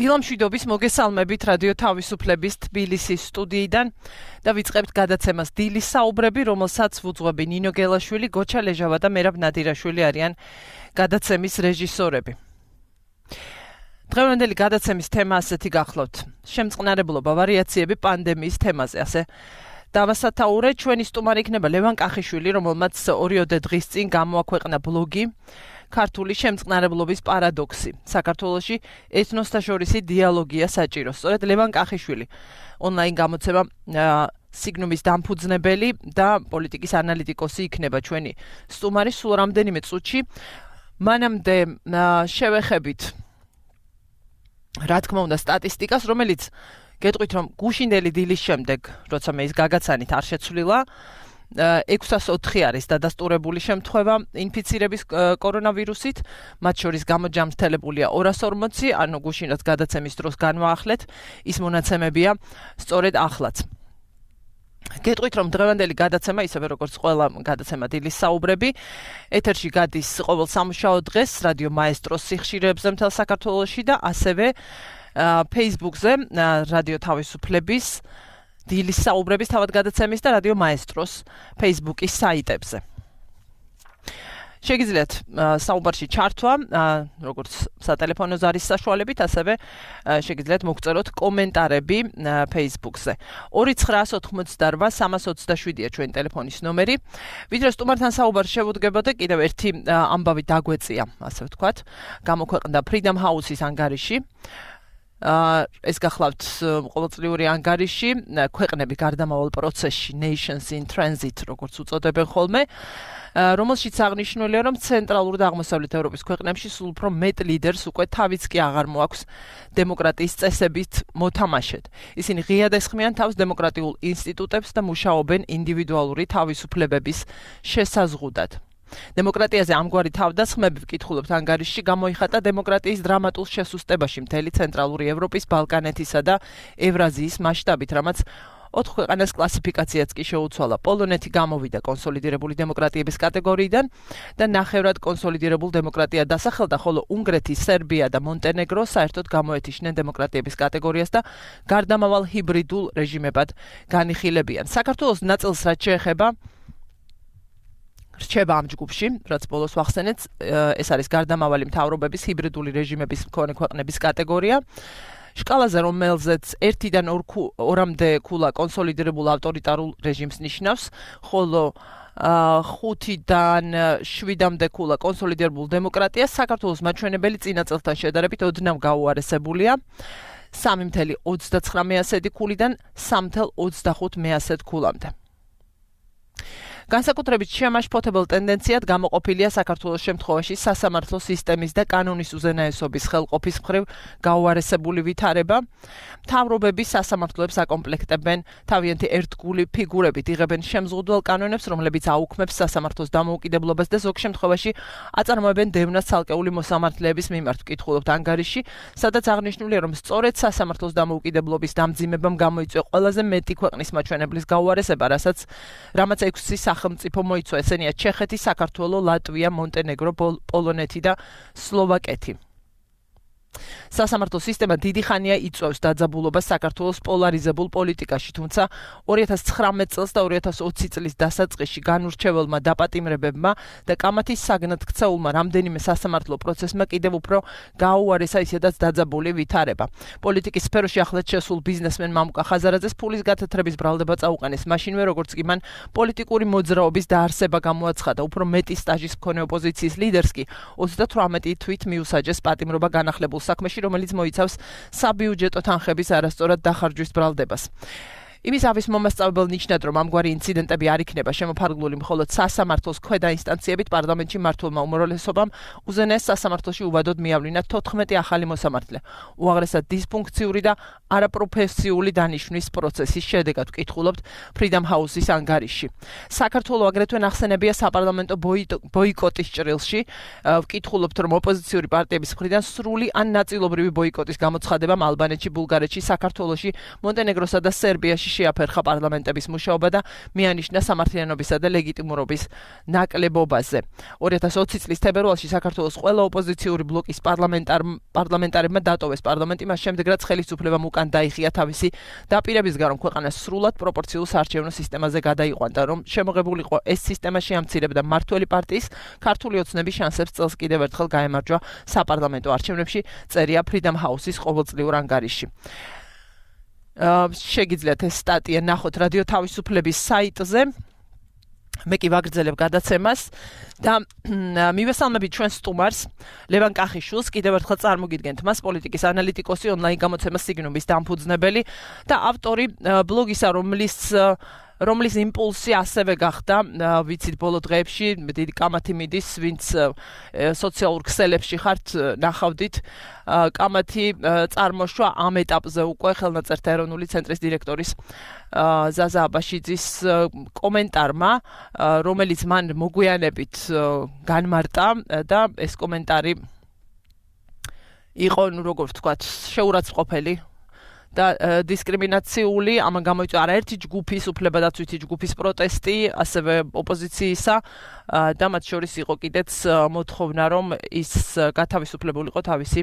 დილამშვიდობის მოგესალმებით რადიო თავისუფლების თბილისის სტუდიიდან და ვიწყებთ გადაცემას დილის საუბრები, რომელსაც ვუძღვები ნინო გელაშვილი, გოჩა ლეჟავა და მერაბ ნადირაშვილი არიან გადაცემის რეჟისორები. დღევანდელი გადაცემის თემა ასეთი გახლავთ. შემწყნარებლობა ვარიაციები პანდემიის თემაზე, ასე დავასათაურე. ჩვენი სტუმარი იქნება ლევან კახიშვილი, რომელმაც 2 დღის წინ გამოაქვეყნა ბლოგი ქართული შემწყნარებლობის პარადოქსი. საქართველოში ეთნოსთაშორისი დიალოგია საჭირო. სწორედ ლევან კახიშვილი ონლაინ გამოცემა სიგნუმის დამფუძნებელი და პოლიტიკის ანალიტიკოსი იქნება ჩვენი სტუმარი სულ რამდენიმე წუთში. მანამდე შევეხებით რა თქმა უნდა სტატისტიკას, რომელიც გეტყვით რომ გუშინდელი დილის შემდეგ, როცა მე ის გაგაცანით არ შეცვლილა, 604 არის დადასტურებული შემთხვევა ინფიცირების კორონავირუსით, მათ შორის გამოჯამრთელებულია 240, ანუ გუშინაც გადაცემის დროს განვაახლეთ, ის მონაცემებია სწორედ ახლაც. გეტყვით რომ დღევანდელი გადაცემა, ისევე როგორც ყველა გადაცემა დილის საუბრები, ეთერში გადის ყოველ სამუშაო დღეს რადიო მაესტროს სიხშირეებზე მთელ საქართველოში და ასევე Facebook-ზე რადიო თავისუფლების დილის საუბრების თავად გადაცემის და რადიო მაესტროს Facebook-ის საიტებზე. შეგიძლიათ საუბარში ჩართვა, როგორც სატელეფონო ზარის საშუალებით, ასევე შეგიძლიათ მოგწეროთ კომენტარები Facebook-ზე. 2988327-ია ჩვენი ტელეფონის ნომერი. ვიდრე სტუმართან საუბარს შევუდგებოდე, კიდევ ერთი ამბავი დაგვეწია, ასე ვთქვათ, გამოქვეყნდა Freedom House-ის ანგარიში. ეს გახლავთ ყოველწლიური ანგარიში, ქვეყნები გარდამავალ პროცესში, Nations in Transit, როგორც უწოდებენ ხოლმე, რომელშიც აღნიშნულია, რომ ცენტრალურ და აღმოსავლეთ ევროპის ქვეყნებში სულ უფრო მეტ ლიდერს უკვე თავიც კი აღარ მოაქვს დემოკრატიის წესებით მოთამაშედ. ისინი ღიად ესხმიან თავს დემოკრატიულ ინსტიტუტებს და მუშაობენ ინდივიდუალური თავისუფლებების შესაზღუდად. დემოკრატიაზე ამგვარი თავდასხმები ვკითხულობთ ანგარიშში გამოიხატა დემოკრატიის დრამატულ შესუსტებაში მთელი ცენტრალური ევროპის, ბალკანეთისა და ევრაზიის მასშტაბით, რამაც 4 ქვეყანას კლასიფიკაციაც კი შეუცვალა. პოლონეთი გამოვიდა კონსოლიდირებული დემოკრატიების კატეგორიიდან და ნახევრად კონსოლიდირებულ დემოკრატიად დასახელდა, ხოლო უნგრეთი, სერბია და მონტენეგრო საერთოდ გამოეთიშნენ დემოკრატიების კატეგორიას და გარდამავალ ჰიბრიდულ რეჟიმებად განიხილებიან. საქართველოს ნაწილს რაც შეეხება რჩება ამ ჯგუფში, რაც ბოლოს ვახსენეთ, ეს არის გარდამავალი მთავრობების ჰიბრიდული რეჟიმების მქონე ქვეყნების კატეგორია. შკალაზე, რომელზეც 1-დან 2-მდე ქულა კონსოლიდირებულ ავტორიტარულ რეჟიმს ნიშნავს, ხოლო 5-დან 7-მდე ქულა კონსოლიდირებულ დემოკრატიას, საქართველოს მაჩვენებელი წინა წელთან შედარებით ოდნავ გაუარესებულია. 3.29 ქულიდან 3.25 ქულამდე. განსაკუთრებით შემაშფოთებელ ტენდენციად გამოყოფილია საქართველოს შემთხვევაში სასამართლო სისტემის და კანონის უზენაესობის ხელყოფის მხრივ გაუარესებული ვითარება. მთავრობები სასამართლოებს აკომპლექტებენ თავიანთი ერთგული ფიგურებით, იღებენ შემზღუდველ კანონებს, რომლებიც აუქმებს სასამართლოს დამოუკიდებლობას და ზოგ შემთხვევაში აწარმოებენ დევნას ცალკეული მოსამართლეების მიმართ. ვკითხულობთ ანგარიში, სადაც აღნიშნულია, რომ სწორედ სასამართლოს დამოუკიდებლობის დამძიმებამ გამოიწვია ყველაზე მეტი ქვეყნის მაჩვენებლის გაუარესება, რამაც 6 სახელმწიფო მოიცვა, ესენია ჩეხეთი, საქართველო, ლატვია, მონტენეგრო, პოლონეთი და სლოვაკეთი. სასამართლო სისტემა დიდი ხანია იწვევს დაძაბულობას საქართველოს პოლარიზებულ პოლიტიკაში, თუმცა 2019 წელს და 2020 წლის დასაწყისში განურჩეველმა დაპატიმრებებმა და კამათის საგნად ქცეულმა რამდენიმე სასამართლო პროცესმა კიდევ უფრო გაუარესა ისედაც დაძაბული ვითარება. პოლიტიკის სფეროში ახლად შესულ ბიზნესმენ მამუკა ხაზარაძეს ფულის გათეთრების ბრალდება წაუყენეს მაშინვე, როგორც კი მან პოლიტიკური მოძრაობის დაარსება გამოაცხადა. უფრო მეტი სტაჟის მქონე ოპოზიციის ლიდერს კი 38 თვით მიუსაჯეს პატიმრობა განახლებულ საქმეში, რომელიც მოიცავს საბიუჯეტო თანხების არასწორად დახარჯვის ბრალდებას. იმის ავის მომასწავებელ ნიშნად, რომ ამგვარი ინციდენტები არ იქნება შემოფარგლული მხოლოდ სასამართლოს ქვედა ინსტანციებით, პარლამენტში მმართველმა უმრავლესობამ უზენაეს სასამართლოში უვადოდ მიავლინა 14 ახალი მოსამართლე. უაღრესად დისფუნქციური და არაპროფესიული დანიშვნის პროცესის შედეგად ვკითხულობთ Freedom House-ის ანგარიში. საქართველოს აგრეთვე ნახსენებია საპარლამენტო ბოიკოტის ჭრილში. ვკითხულობთ, რომ ოპოზიციური პარტიების მხრიდან სრული ან ნაწილობრივი ბოიკოტის გამოცხადებამ ალბანეთში, ბულგარეთში, საქართველოში, მონტენეგროსა და სერბიაში შეაფერხა პარლამენტების მუშაობა და მიანიშნა სამართლიანობისა და ლეგიტიმურობის ნაკლებობაზე. 2020 წლის თებერვალში საქართველოს ყველა ოპოზიციური ბლოკის პარლამენტარებმა დატოვეს პარლამენტი, მას შემდეგ რაც ხელისუფლებამ უკან დაიხია თავისი დაპირებისგან, რომ ქვეყანა სრულად პროპორციულ საარჩევნო სისტემაზე გადაიყვანდა, რომ შემოღებულიყო ეს სისტემა შეამცირებდა მმართველი პარტიის ქართული ოცნების შანსებს წელს კიდევ ერთხელ გაემარჯვა საპარლამენტო არჩევნებში, წერია Freedom House-ის ყოველწლიურ ანგარიში. შეგიძლიათ ეს სტატია ნახოთ რადიო თავისუფლების საიტზე. მე კი ვაგრძელებ გადაცემას და მივესალმებით ჩვენ სტუმარს ლევან კახიშვილს, კიდევ ერთხელ წარმოგიდგენთ მას, პოლიტიკის ანალიტიკოსი, ონლაინ გამოცემას სიგნუმის დამფუძნებელი და ავტორი ბლოგისა, რომლის იმპულსი ასევე გახდა, ვიცით, ბოლო დღეებში დიდი კამათი მიდის, ვინც სოციალურ ქსელებში ხართ, ნახავდით, კამათი წარმოშვა ამ ეტაპზე უკვე ხელნაწერთა ეროვნული ცენტრის დირექტორის ზაზა აბაშიძის კომენტარმა, რომელიც მან მოგვიანებით განმარტა და ეს კომენტარი იყო, როგორ ვთქვათ, შეურაცხყოფელი და დისკრიმინაციული, ამან გამოიწვია არაერთი ჯგუფის, უფლებადაცვითი ჯგუფის პროტესტი, ასევე ოპოზიციისა და მათ შორის იყო კიდეც მოთხოვნა, რომ ის გათავისუფლებულიყო თავისი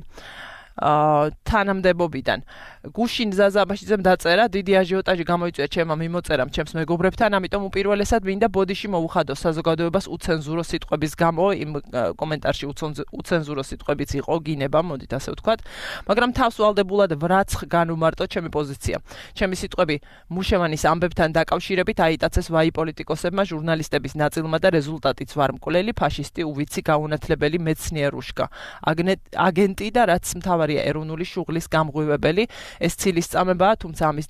თანამდებობიდან. გუშინ ზაზა აბაშიძემ დაწერა, დიდი აჟიოტაჟი გამოიწვია ჩემმა მიმოწერამ, ჩემს მეგობრებთან, ამიტომ უპირველესად მინდა ბოდიში მოუხადო საზოგადოებას უცენზურო სიტყვების გამო, იმ კომენტარში უცენზურო სიტყვებიც იყო, გინება, მოდით ასე ვთქვათ, მაგრამ თავს ვალდებულად ვრაცხ განუმარტო ჩემი პოზიცია. ჩემი სიტყვები მუშევანის ამბებთან დაკავშირებით აიტაცეს ვაი პოლიტიკოსებმა, ჟურნალისტების ნაწილმა და რეზულტატიც ვარ მკვლელი, ფაშისტი, უვიცი, გაუნათლებელი მეცნიერუშკა, აგენტი და რაც მთავარია ეროვნული შუღლის გამღვივებელი. ეს ცილისწამებაა, თუმცა ამის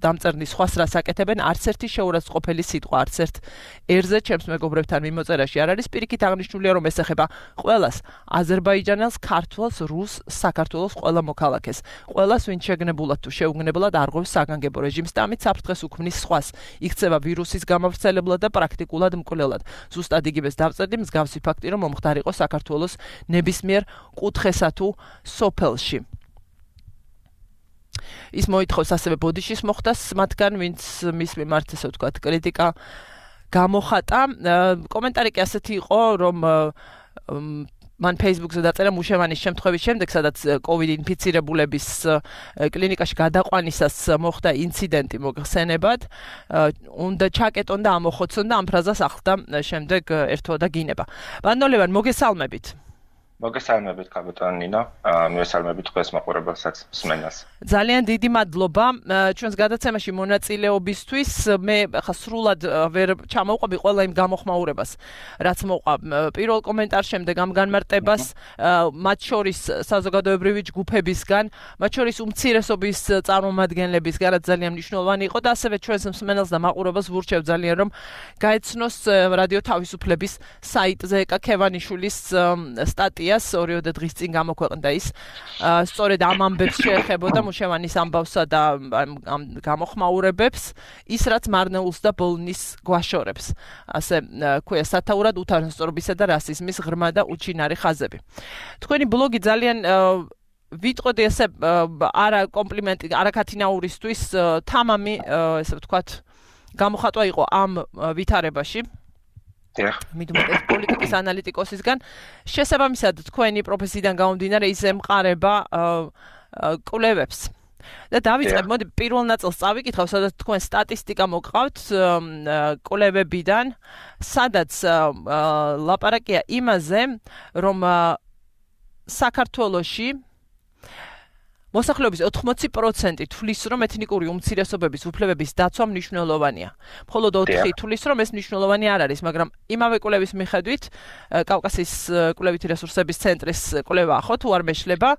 დამწერნის სხვას რას აკეთებენ, არც ერთი შეურაცხყოფელი სიტყვა, არც ერთ ერზე ჩემს მეგობრებთან მიმოწერაში არ არის. პირიქით აღნიშნულია, რომ ეს ეხება ყველას, აზერბაიჯანელს, ქართველს, რუსს, საქართველოს ყველა მოქალაქეს. ყველას, ვინც შეგნებულად თუ შეუგნებლად არღვევს საგანგებო რეჟიმს და ამით საფრთხეს უქმნის სხვას. იქცევა ვირუსის გამავრცელებლად და პრაქტიკულად მკვლელად. ზუსტად იგივეს დავწერდი მსგავსი ფაქტი, რომ მომხდარიყო საქართველოს ნებისმიერ კუთხესა თუ სოფელში. ის მოითხოვს ასევე ბოდიშის მოხდას მათგან, ვინც მის მიმართ, ესე ვთქვათ, კრიტიკა გამოხატა. კომენტარი კი ასეთი იყო, რომ მან Facebook-ზე დაწერა მუშევანის შემთხვევის შემდეგ, სადაც COVID ინფიცირებულების კლინიკაში გადაყვანისას მოხდა ინციდენტი მოხსენებად, უნდა ჩაკეტონ და ამოხოცონ და ამ ფრაზას ახლდა შემდეგ ერთო და გინება. ბანდოლევან, მოგესალმებით. მოგესალმებით, კაპიტანი ნინო. მივესალმებით ყველს მაყურებელსაც, მსმენელს. ძალიან დიდი მადლობა ჩვენს გადაცემაში მონაწილეობისთვის. მე ხა სრულად ვერ ჩამოვყვები ყველა იმ გამოხმაურებას, რაც მოყვა პირველ კომენტარს, შემდეგ ამ განმარტებას, მათ შორის საზოგადოებრივი ჯგუფებისგან, მათ შორის უმცირესობის წარმომადგენლებისგან, რაც ძალიან მნიშვნელოვანი იყო და ასევე ჩვენს მსმენელს და მაყურებელს ვურჩევ ძალიან, რომ გაეცნოს რადიო თავისუფლების საიტზე ეკა ქევანიშვილის სტატია 2 დღის წინ გამოქვეყნდა ის. სწორედ ამ ამბებს შეეხებოდა მუშევანის ამბავსა და ამ გამოხმაურებებს, ის რაც მარნეულს და ბოლნის გვაშორებს. ასე ქვია სათაურად უთანასწორობისა და რასიზმის ღრმა და უჩინარი ხაზები. თქვენი ბლოგი ძალიან ვიტყოდი ესე არა კომპლიმენტი, არა ქათინაურისთვის თამამი, ესე ვთქვათ, გამოხატვა იყო ამ ვითარებაში. მიდმოდეს პოლიტიკის ანალიტიკოსისგან. შესაბამისად, თქვენი პროფესიიდან გამომდინარე ის ემყარება კვლევებს. და დავიწყებ, მოდი პირველ ნაწილს წავიკითხავ, სადაც თქვენ სტატისტიკა მოგყავთ კვლევებიდან, სადაც ლაპარაკია იმაზე, რომ საქართველოში მოსახლეობის 80% თვლის, რომ ეთნიკური უმცირესობების უფლებების დაცვა მნიშვნელოვანია. მხოლოდ 4 თვლის, რომ ეს მნიშვნელოვანი არ არის, მაგრამ იმავე კვლევის მიხედვით, კავკასიის კვლევითი რესურსების ცენტრის კვლევაა, ხო, თუ არ მეშლება?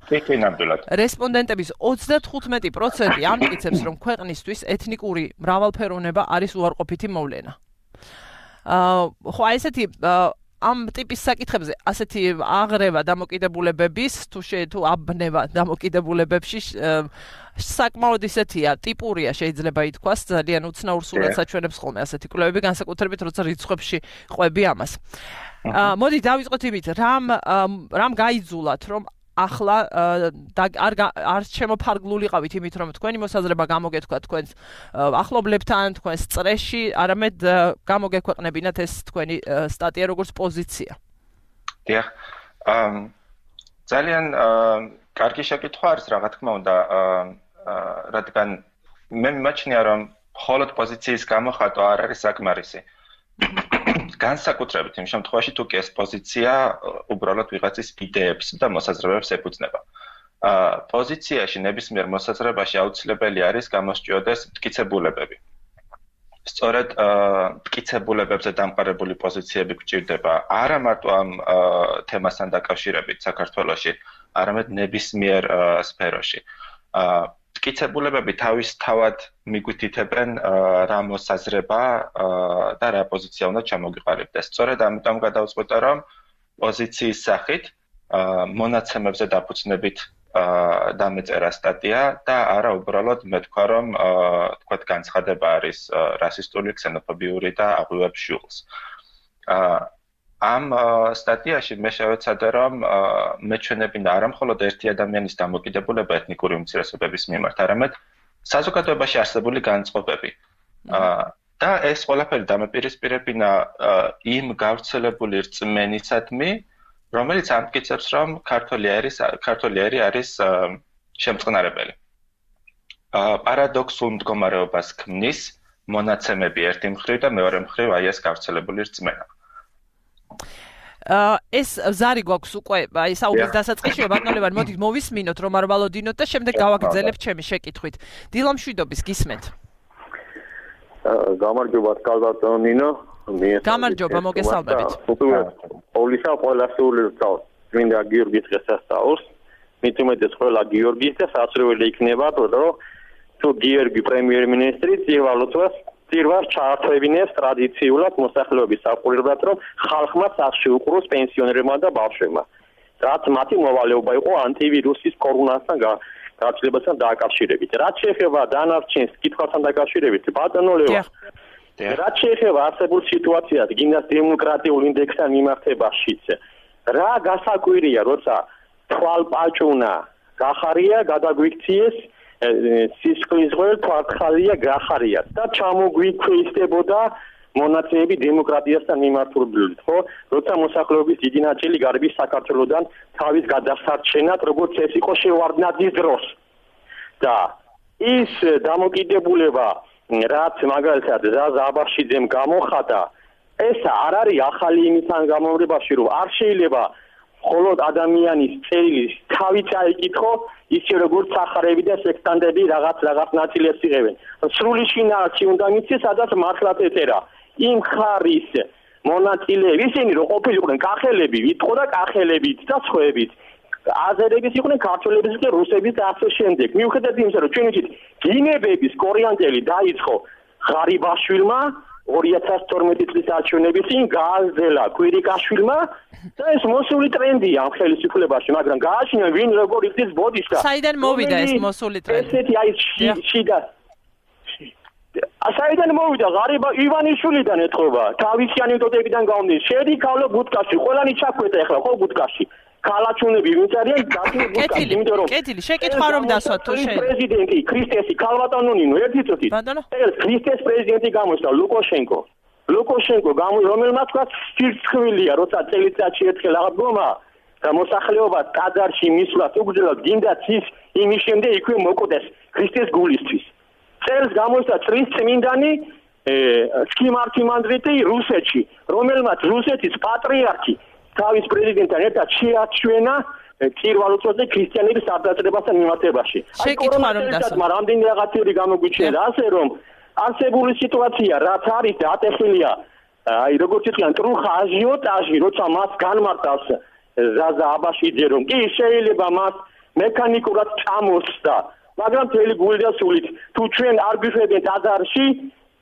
ნამდვილად. რესპონდენტების 35% ამტკიცებს, რომ ქვეყნისთვის ეთნიკური მრავალფეროვნება არის უარყოფითი მოვლენა. ხო, აი ესეთი ამ ტიპის საკითხებზე ასეთი აღრევა დამოკიდებულებების თუ აბნევა დამოკიდებულებებში საკმაოდ ისეთია, ტიპურია შეიძლება ითქვას, ძალიან უცნაურ სურათს აჩვენებს ხოლმე ასეთი კვლევები, განსაკუთრებით როცა რიცხვებში ყვები ამას. მოდი დავიწყოთ იმით, რამ გაიძულათ, რომ ახლა არ შემოფარგლულიყავით იმით, რომ თქვენი მოსაზრება გამოგეთქვა თქვენს ახლობლებთან, თქვენს წრეში, არამედ გამოგექვეყნებინათ ეს თქვენი სტატია როგორც პოზიცია. დიახ. ძალიან კარგი შეკითხვა არის, რა თქმა უნდა, რადგან მე მიმაჩნია, რომ მხოლოდ პოზიციის გამოხატვა არ არის საკმარისი. განსაკუთრებით იმ შემთხვევაში, თუ კი ეს პოზიცია უბრალოდ ვიღაცის იდეებს და მოსაზრებებს ეფუძნება. პოზიციაში ნებისმიერ მოსაზრებაში აუცილებელი არის გამოსჭიოდეს მტკიცებულებები. სწორედ მტკიცებულებებზე დამყარებული პოზიციები გვჭირდება არა მარტო ამ თემასთან დაკავშირებით საქართველოში, არამედ ნებისმიერ სფეროში. მტკიცებულებები თავისთავად მიგვითითებენ რა მოსაზრება და რა პოზიცია უნდა ჩამოგიყალიბდეს. სწორედ ამიტომ გადავწყვეტე, რომ პოზიციის სახით მონაცემებზე დაფუძნებით დამეწერა სტატია და არა უბრალოდ მე თქვა, რომ თქვათ განცხადება არის რასისტული, ქსენოფობიური და აღვივებს შულს. ამ სტატიაში მე შევეცადე, რომ მეჩვენებინა არა მხოლოდ ერთი ადამიანის დამოკიდებულება ეთნიკური უმცირესობების მიმართ, არამედ საზოგადოებაში არსებული განწყობები. და ეს ყველაფერი დამეპირისპირებინა იმ გავრცელებული რწმენისადმი, რომელიც ამტკიცებს, რომ ქართველი არის შემწყნარებელი. პარადოქსულ მდგომარეობას ქმნის მონაცემები ერთი მხრივ და მეორე მხრივ აი ეს გავრცელებული რწმენა. ეს ზარი გვაქვს უკვე აი საუბრის დასაწყისში, ბატონო ლევან, მოდით მოვისმინოთ, რომ არ ვალოდინოთ და შემდეგ გავაგრძელებთ ჩემი შეკითხვით. დილა მშვიდობის, გისმენთ. გამარჯობა, კალბატონო ნინო. გამარჯობა, მოგესალმებით. პოლისა ყველასული რწავს. მინდა გიორგის დღესასწაულს. მით უმეტეს ყველა გიორგის და სასურველი იქნება, რომ თუ გიორგი პრემიერ-მინისტრი წირვას ჩაართვებინებს ტრადიციულად მოსახლეობის საყურებლად, რომ ხალხმა სახში უყროს პენსიონერებმა და ბავშვებმა. რაც მათი მოვალეობა იყო ანტივირუსის კორონასთან გაცვლებასთან დაკავშირებით. რაც შეეხება დანარჩენს კითხვასთან დაკავშირებით, ბატონო ლევან, რაც შეეხება არსებულ სიტუაციას, გინდას დემოკრატიულ ინდექსთან მიმართებაშიც, რა გასაკვირია, როცა თვალპაჭუნა გახარია, გადაგვიქციეს სისხლის ღვრელ თვალხალია გახარიათ და ჩამოგვიქვეითებოდა მონაცემები დემოკრატიასთან მიმართულებით, ხო? როცა მოსახლეობის დიდი ნაწილი გარბის საქართველოსთან თავის გადასარჩენად, როგორც ეს იყო შევარდნაძის დროს. და ის დამოკიდებულება, რაც მაგალითად ზაზა აბაშიძემ გამოხატა, ეს არ არის ახალი იმისგან გამომრებაში, რომ არ შეიძლება მხოლოდ ადამიანის წერილის თავი წაიკითხო, ისე როგორც სახარები და სექტანტები რაღაც ნაწილებს იღებენ. სრული შინაარსი უნდა მიცეს, სადაც მართლაც ეწერა. იმ ხარის მონაწილეები, ისინი რომ ყოფილიყვნენ კახელები, ვიტყო და კახელებიც და სხვაებიც. აზერების იყვნენ, ქართველების და რუსების და ასე შემდეგ. მიუხედავად იმისა, რომ ჩვენ ვიცით, გინებების კორიანტელი დაიწყო ღარიბაშვილმა 2012 წლის არჩევნების წინ გააძელა კვირიკაშვილმა და ეს მოსული ტრენდია ამ ხელისუფლებაში, მაგრამ გააჩინა ვინ როგორ იქცეს ბოდიშთა. საიდან მოვიდა ეს მოსული ტრენდი? ესეთი აი შიდა. საიდან მოვიდა? ღარიბა ივანიშვილიდან ეთქობა. თავისი ანეკდოტებიდან გამომდის. შედი ქალო ბუდკაში, ყველანი ჩაქვეთა ახლა ხო ბუდკაში. ქალაჩუნები ვინც არიან გასული ბუდკაში, იმიტომ რომ კეთილი, შეკითხვა რომ დასვათ თუ შეიძლება. პრეზიდენტი ქრისტესი ქალბატონონინო ერთი წუთი. ეს ქრისტეს პრეზიდენტი გამოსცა ლუკაშენკო რომელმაც თქვა სირცხვილია, როცა წელიწადში ერთხელ აღდგომა და მოსახლეობა ტაძარში მისვლას უგრძელად გინდათ ის იმის შემდეგ იქვე მოკვდეს ქრისტეს გულისთვის. წელს გამოსცა წრის წმინდანი სკიმართი მანდრიტი რუსეთში, რომელმაც რუსეთის პატრიარქი თავის პრეზიდენტთან ერთად შეაჩვენა წირვალუწოზე ქრისტიანების არდაჭერებასთან მიმართებაში. აი კორონასთან რამდენი რაღაცები გამოგვიჩნდა, ასე რომ არსებული სიტუაცია რაც არის და ატეხილია, აი როგორც იტყვიან, ტრუხა აჟიოტაჟი, როცა მას განმარტავს ზაზა აბაშიძე, რომ კი შეიძლება მას მექანიკურად წამოსდა, მაგრამ თელი გული და სულით თუ ჩვენ არ გვიშვებენ ტაძარში,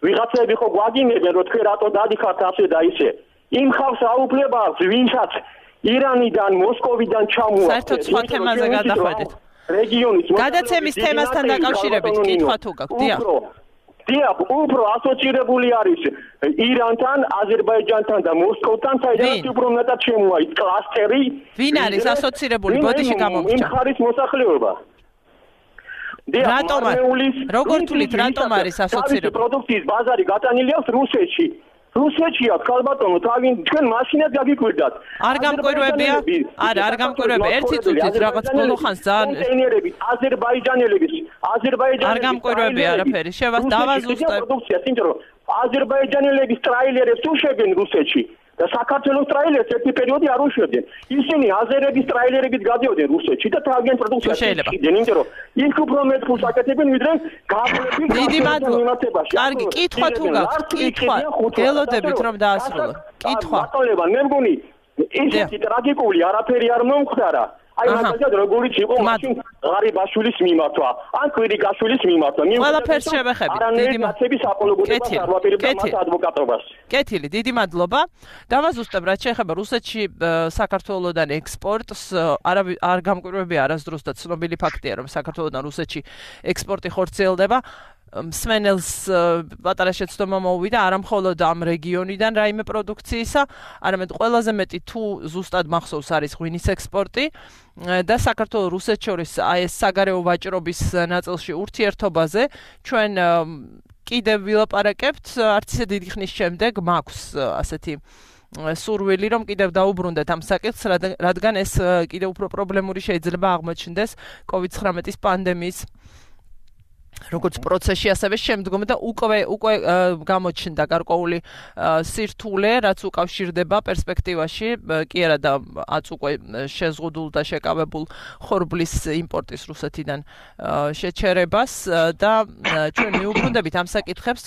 ვიღაცები ხო გვაგინებენ, რომ თქვენ რატო დადიხართ ასე და ისე. იმ ხალხს აუფლება აქვს, ვინცაც ირანიდან, მოსკოვიდან ჩამოაქვს. საერთოდ სხვა თემაზე გადახვედით. რეგიონის გადაცემის თემასთან დაკავშირებით კითხვა თუ გაქვთ? დიახ. დიახ, უფრო ასოცირებული არის ირანთან, აზერბაიჯანთან და მოსკოვთან, საიდანაც უფრო მეტად შემოაიც კლასტერი. ვინ არის ასოცირებული? ბოდიში გამომჩა. იმ ხარის მოსახლეობა. რატომ? როგორ თulit რატომ არის ასოცირებული? პროდუქციის ბაზარი გატანილი აქვს რუსეთში. რუსეთშია ქალბატონო, თქვენ მაშინაც გაგიკვირდათ. არ გამკვირვებია? არა, არ გამკვირვებია. ერთი წუთით რაღაც ბოლო ხანს ძალიან კონტეინერები, აზერბაიჯანელების, არ გამკვირვებია არაფერი. დავაზუსტებ. პროდუქცია, იმიტომ რომ აზერბაიჯანელების ტრაილერებს უშვებენ რუსეთში. და საქართველოს ტრაილერს ერთი პერიოდი არ უშვებდნენ. ისინი აზერების ტრაილერებით გადიოდნენ რუსეთში და თავიანთ პროდუქციას იყიდნენ, იმიტომ რომ იქ უფრო მეტ ფულს აკეთებენ, ვიდრე გაბლები მიმართებაში. კარგი, კითხვა თუ გაქვს, კითხვა. გელოდებით რომ დაასრულო. კითხვა. ბატონებო, მე მგონი ესეთი ტრაგიკული არაფერი არ მომხდარა. აი მაგალითად როგორიც იყო მაშინ ღარიბაშვილის მიმართვა, ან კვირიკაშვილის მიმართვა. ყველაფერს შევეხებით. დიდი მათების აპოლოგეტებას არ ვაპირებდა მათ ადვოკატობას. კეთილი, დიდი მადლობა. დავაზუსტებ, რაც შეეხება რუსეთში საქართველოსდან ექსპორტს, არ გამკვირვებია არასდროს და ცნობილი ფაქტია, რომ საქართველოსდან რუსეთში ექსპორტი ხორციელდება. მსმენელს პატარა შეცდომა მოუვიდა არა მხოლოდ ამ რეგიონიდან რაიმე პროდუქციისა, არამედ ყველაზე მეტი თუ ზუსტად მახსოვს არის ღვინის ექსპორტი და საქართველოს რუსეთს შორის აი ეს საგარეო ვაჭრობის ნაწილში ურთიერთობაზე ჩვენ კიდევ ვილაპარაკებთ, არც ისე დიდი ხნის შემდეგ მაქვს ასეთი სურვილი რომ კიდევ დაუბრუნდეთ ამ საკითხს, რადგან ეს კიდევ უფრო პრობლემური შეიძლება აღმოჩნდეს COVID-19 პანდემიის როგორც პროცესში, ასევე შემდგომ და უკვე გამოჩნდა გარკვეული სირთულე, რაც უკავშირდება პერსპექტივაში, კი არა და უკვე შეზღუდულ და შეკავებულ ხორბლის იმპორტის რუსეთიდან შეჩერებას და ჩვენ მიუბრუნდებით ამ საკითხებს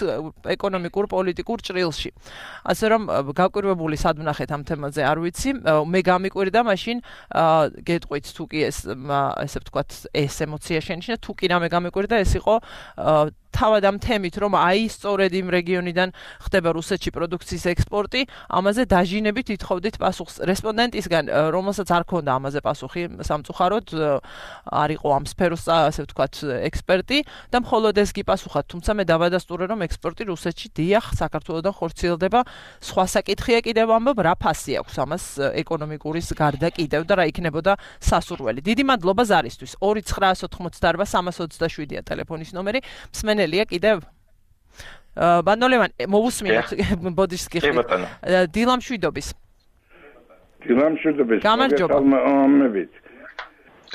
ეკონომიკურ პოლიტიკურ ჭრილში. ასე რომ გაკვირვებული სად ვნახეთ ამ თემაზე არ ვიცი, მე გამიკვირდა მაშინ გეტყვით თუ კი ეს ესე ვთქვათ ეს ემოცია შენიშნა, თუ კი რამე გამიკვირდა ეს იყო თავად ამ თემით, რომ აი სწორედ იმ რეგიონიდან ხდება რუსეთში პროდუქციის ექსპორტი, ამაზე დაჟინებით ითხოვდით პასუხს რესპონდენტისგან, რომელსაც არ ქონდა ამაზე პასუხი სამწუხაროდ, არ იყო ამ სფეროს, ასე ვთქვათ, ექსპერტი და მხოლოდ ეს გიპასუხათ, თუმცა მე დავადასტურე, რომ ექსპორტი რუსეთში დიახ, საქართველოსდან ხორციელდება, სხვა საკითხია კიდევ ამბობ, რა ფასი აქვს ამას ეკონომიკურის გარდა კიდევ და რა იქნებოდა სასურველი. დიდი მადლობა ზარისთვის. 2988327-ია ტელეფონის ნომერი. მსმენელია კიდევ ბანოლევან მოვუსმინოთ ბოდიშს გიხდით დილამშვიდობის გამარჯობა ამებით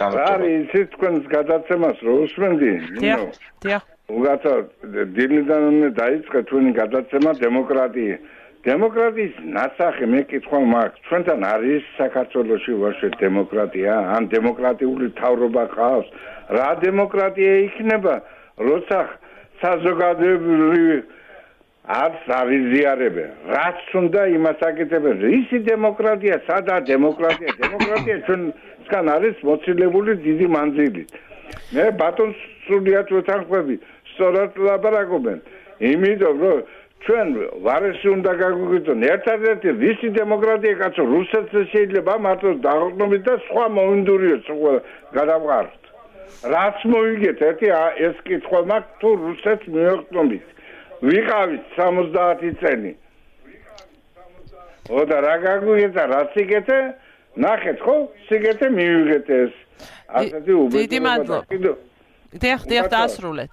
არის ის თქვენს გადაცემას რო უსმენდი დიახ უგაცა დილიდან დაიწყე თქვენი გადაცემა დემოკრატიის ნასახი მე კითხვა მაქვს ჩვენთან არის საქართველოში ვაშვეთ დემოკრატია ან დემოკრატიული თავრობა ყავს რა დემოკრატია იქნება როცა საზოგადოებრივი არც არიზიარებენ რაც უნდა იმას აკეთებენ ისი დემოკრატია სადა დემოკრატია ჩვენსგან არის მოცილებული დიდი მანძილით მე ბატონს სრულიად ვეთანხმები სწორად ლაპარაკობენ იმიტომ რომ ჩვენ ვარესი უნდა გაგვიგრძნო ერთადერთი ვისი დემოკრატია კაცო რუსეთს შეიძლება მარტო დაღლობით და სხვა მოინდურიოს გადავყაროთ რაც მოიგეთ ერთი ეს კითხვა მაქვს თუ რუსეთს მიოხდომით ვიყავით 70 წელი ოდა რა გაგვიგეთა რაც იგეთე ნახეთ ხო სიგეთე მივიღეთ ეს ასეთი უბედურება დიდი მადლობა დიახ დაასრულეთ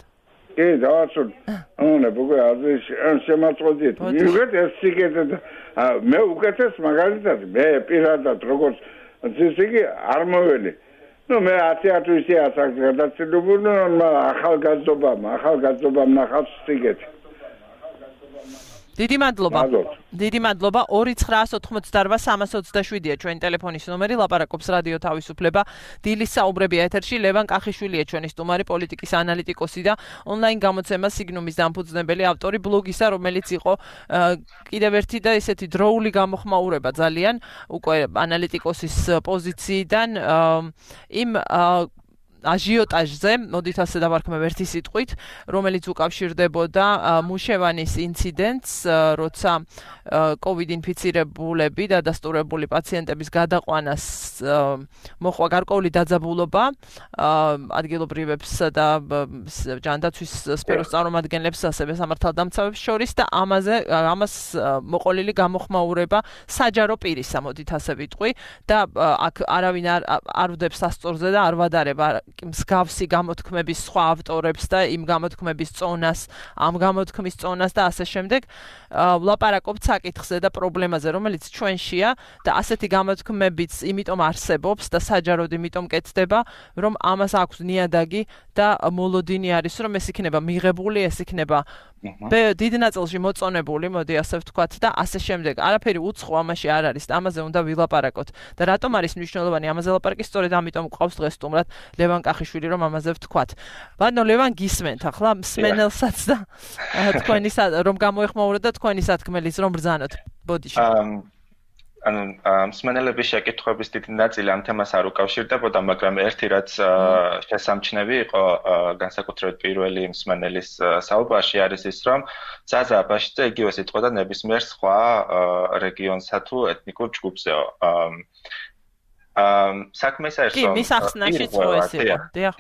კი დაასრულე აუნა ბოგო არის შემაწოდეთ მივიღეთ ეს სიგეთე მე უკეთეს მაგალითად მე პირადად როგორც ისე არ მოველი ну მე 10 თვისი ასაკ გადაცილებული ახალგაზრდობამ ნახავს სიგეთი დიდი მადლობა 2988327-ია ჩვენი ტელეფონის ნომერი ლაპარაკობს რადიო თავისუფლება დილის საუბრები ეთერში ლევან კახიშვილია ჩვენი სტუმარი პოლიტიკის ანალიტიკოსი და ონლაინ გამოცემა სიგნუმის დამფუძნებელი ავტორი ბლოგისა რომელიც იყო კიდევ ერთი და ესეთი დროული გამოხმაურება ძალიან უკვე ანალიტიკოსის პოზიციიდან იმ აჟიოტაჟზე, მოდით ასე დავარქმევ ერთი სიტყვით, რომელიც უკავშირდებოდა მუშევანის ინციდენტს, როცა COVID ინფიცირებულები და დასტურებული პაციენტების გადაყვანას მოხვა გარკვეული დაძაბულობა ადგილობრივებსა და ჯანდაცვის სფეროს წარმომადგენლებს, ასევე სამართალდამცავებს შორის და ამას მოყოლილი გამოხმაურება საჯარო პირისა, მოდით ასე ვიტყვი და აქ არავინ არ ვდებს სასწორზე და არ ვადარება მსგავსი გამოთქმების სხვა ავტორებს და იმ გამოთქმების წონას, ამ გამოთქმის წონას და ასე შემდეგ. ვლაპარაკობთ საკითხზე და პრობლემაზე, რომელიც ჩვენშია და ასეთი გამოთქმებიც იმიტომ არსებობს და საჯაროდ იმიტომ კეთდება, რომ ამას აქვს ნიადაგი და მოლოდინი არის, რომ ეს იქნება მიღებული, ეს იქნება დიდ ნაწილში მოწონებული, მოდი ასე ვთქვათ და ასე შემდეგ. არაფერი უცხო ამაში არ არის, ამაზე უნდა ვილაპარაკოთ. და რატომ არის მნიშვნელოვანი ამაზე ლაპარაკი? სწორედ ამიტომ გვყავს დღეს სტუმრად ლევან კახიშვილი, რომ ამაზე ვთქვათ. ბატონო ლევან, გისმენთ ახლა მსმენელსაც და თქვენი რომ გამოეხმაუროთ და თქვენი სათქმელიც რომ ბრძანოთ ბოდიში. მსმენელების შეკითხვების დიდი ნაწილი ამ თემას არ უკავშირდებოდა, მაგრამ ერთი რაც შესამჩნევი იყო განსაკუთრებით პირველი მსმენელის საუბარში არის ის, რომ ზაზა აბაშიძე იგივე სიტყვა და ნებისმიერ სხვა რეგიონსა თუ ეთნიკურ ჯგუფზეო. საქმე ის არის, რომ კი, მის ახსნაში წვეს იყო. დიახ.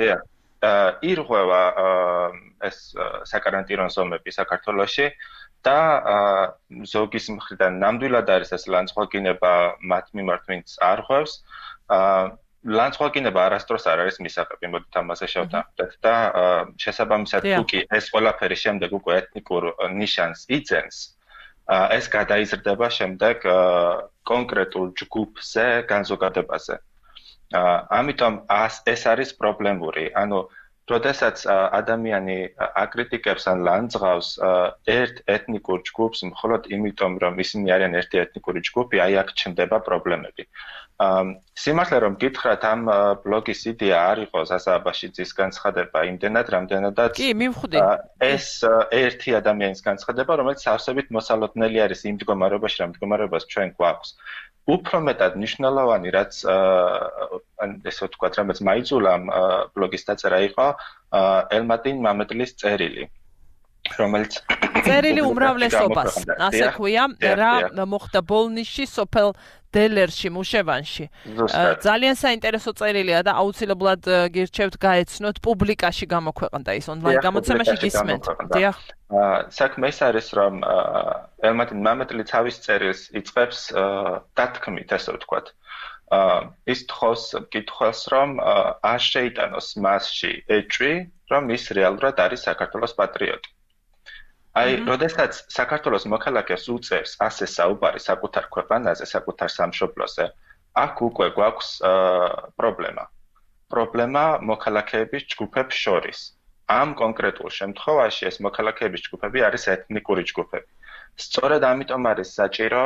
ირღვევა ეს საკარანტინო ზომები საქართველოში და ზოგის მხრიდან ნამდვილად არის ეს ლანძღვაგინება მათ მიმართ, ვინც არ ღვევს. ლანძღვაგინება არასდროს არ არის მისაღები, მოდით ამაზე შევთანხმდეთ და შესაბამისად თუ კი ეს ყველაფერი შემდეგ უკვე ეთნიკურ ნიშანს იძენს, ეს გადაიზრდება შემდეგ კონკრეტულ ჯგუფზე, განზოგადებაზე. ამიტომ ეს არის პრობლემური. ანუ როდესაც ადამიანი აკრიტიკებს ან ლანძღავს ერთ ეთნიკურ ჯგუფს მხოლოდ იმიტომ, რომ ისინი არიან ერთი ეთნიკური ჯგუფი, აი აქ ჩნდება პრობლემები. სიმართლე რომ გითხრათ, ამ ბლოგის იდეა არ იყო ზაზა აბაშიძის განცხადება იმდენად, რამდენადაც კი, მივხვდი. ეს ერთი ადამიანის განცხადება, რომელიც სავსებით მოსალოდნელი არის იმ მდგომარეობაში, რა მდგომარეობას ჩვენ გვაქვს. უფრო მეტად მნიშვნელოვანი, რაც ესე ვთქვათ, რამაც მაიძულა ამ ბლოგის დაწერა იყო ელმატინ მამედლის წერილი, რომელიც წერილი უმრავლესობას, ასე ქვია, რა მოხდა ბოლნისში, სოფელ დელერში, მუშევანში. ძალიან საინტერესო წერილია და აუცილებლად გირჩევთ გაეცნოთ, პუბლიკაში გამოქვეყნდა ის ონლაინ გამოცემაში გისმენთ. დიახ. საქმე ის არის, რომ ელმატინ მამედლი თავის წერილს იწყებს დათქმით, ასე ვთქვათ. ის თხოვს მკითხველს, რომ არ შეიტანოს მასში ეჭვი, რომ ის რეალურად არის საქართველოს პატრიოტი. აი, როდესაც საქართველოს მოქალაქეს უწევს ასე საუბარი საკუთარ ქვეყანაზე, საკუთარ სამშობლოზე, აქ უკვე გვაქვს პრობლემა. პრობლემა მოქალაქეების ჯგუფებს შორის. ამ კონკრეტულ შემთხვევაში ეს მოქალაქეების ჯგუფები არის ეთნიკური ჯგუფები. სწორედ ამიტომ არის საჭირო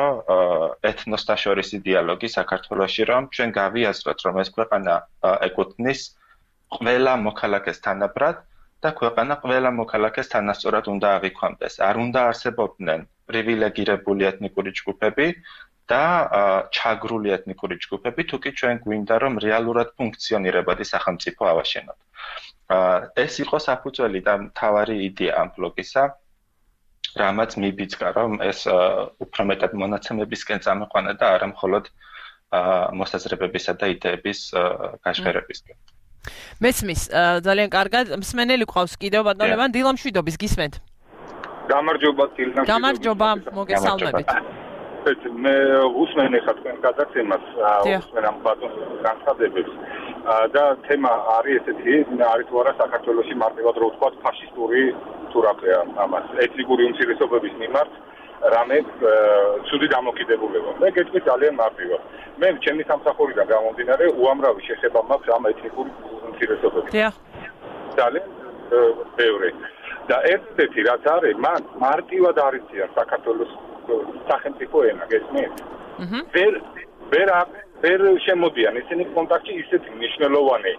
ეთნოსთა შორისი დიალოგი საქართველოში, რომ ჩვენ გავიაზროთ, რომ ეს ქვეყანა ეკუთვნის ყველა მოქალაქეს თანაბრად და ქვეყანა ყველა მოქალაქეს თანასწორად უნდა აღიქვამდეს. არ უნდა არსებობდნენ პრივილეგირებული ეთნიკური ჯგუფები და ჩაგრული ეთნიკური ჯგუფები, თუ კი ჩვენ გვინდა, რომ რეალურად ფუნქციონირებადი სახელმწიფო ავაშენოთ. ეს იყო საფუძველი და მთავარი იდეა ამ ბლოგისა, რამაც მიბიძგა, რომ ეს უფრო მეტად მონაცემებისკენ წამეყვანა და არა მხოლოდ მოსაზრებებისა და იდეების გაშღერებისკენ. მესმის, ძალიან კარგად. მსმენელი ყავს კიდევ ბატონ ლევან დილამშვიდობის, გისმენთ. გამარჯობა, დილამშვიდობის. გამარჯობა, მოგესალმებით. მე უსმენ ახლა თქვენ გადაცემას, უსმენ ამ ბატონს განცხადებებს. და თემა არის ესეთი, არის თუ არა საქართველოში მარტივად რო ვთქვათ ფაშისტური თუ რაფეა ამას ეთნიკური უმცირესობების მიმართ რამე ცუდი დამოკიდებულება. მე გეტყვი ძალიან მარტივად. მე ჩემი სამსახურიდან გამომდინარე უამრავი შეხება მაქვს ამ ეთნიკური უმცირესობებით. დიახ. ძალიან ბევრი. და ერთ-ერთი რაც არის, მან მარტივად არიციან საქართველოს სახელმწიფო ენა, გესმით? ვერ შემოდიან ისინი კონტაქტში ისეთი მნიშვნელოვანი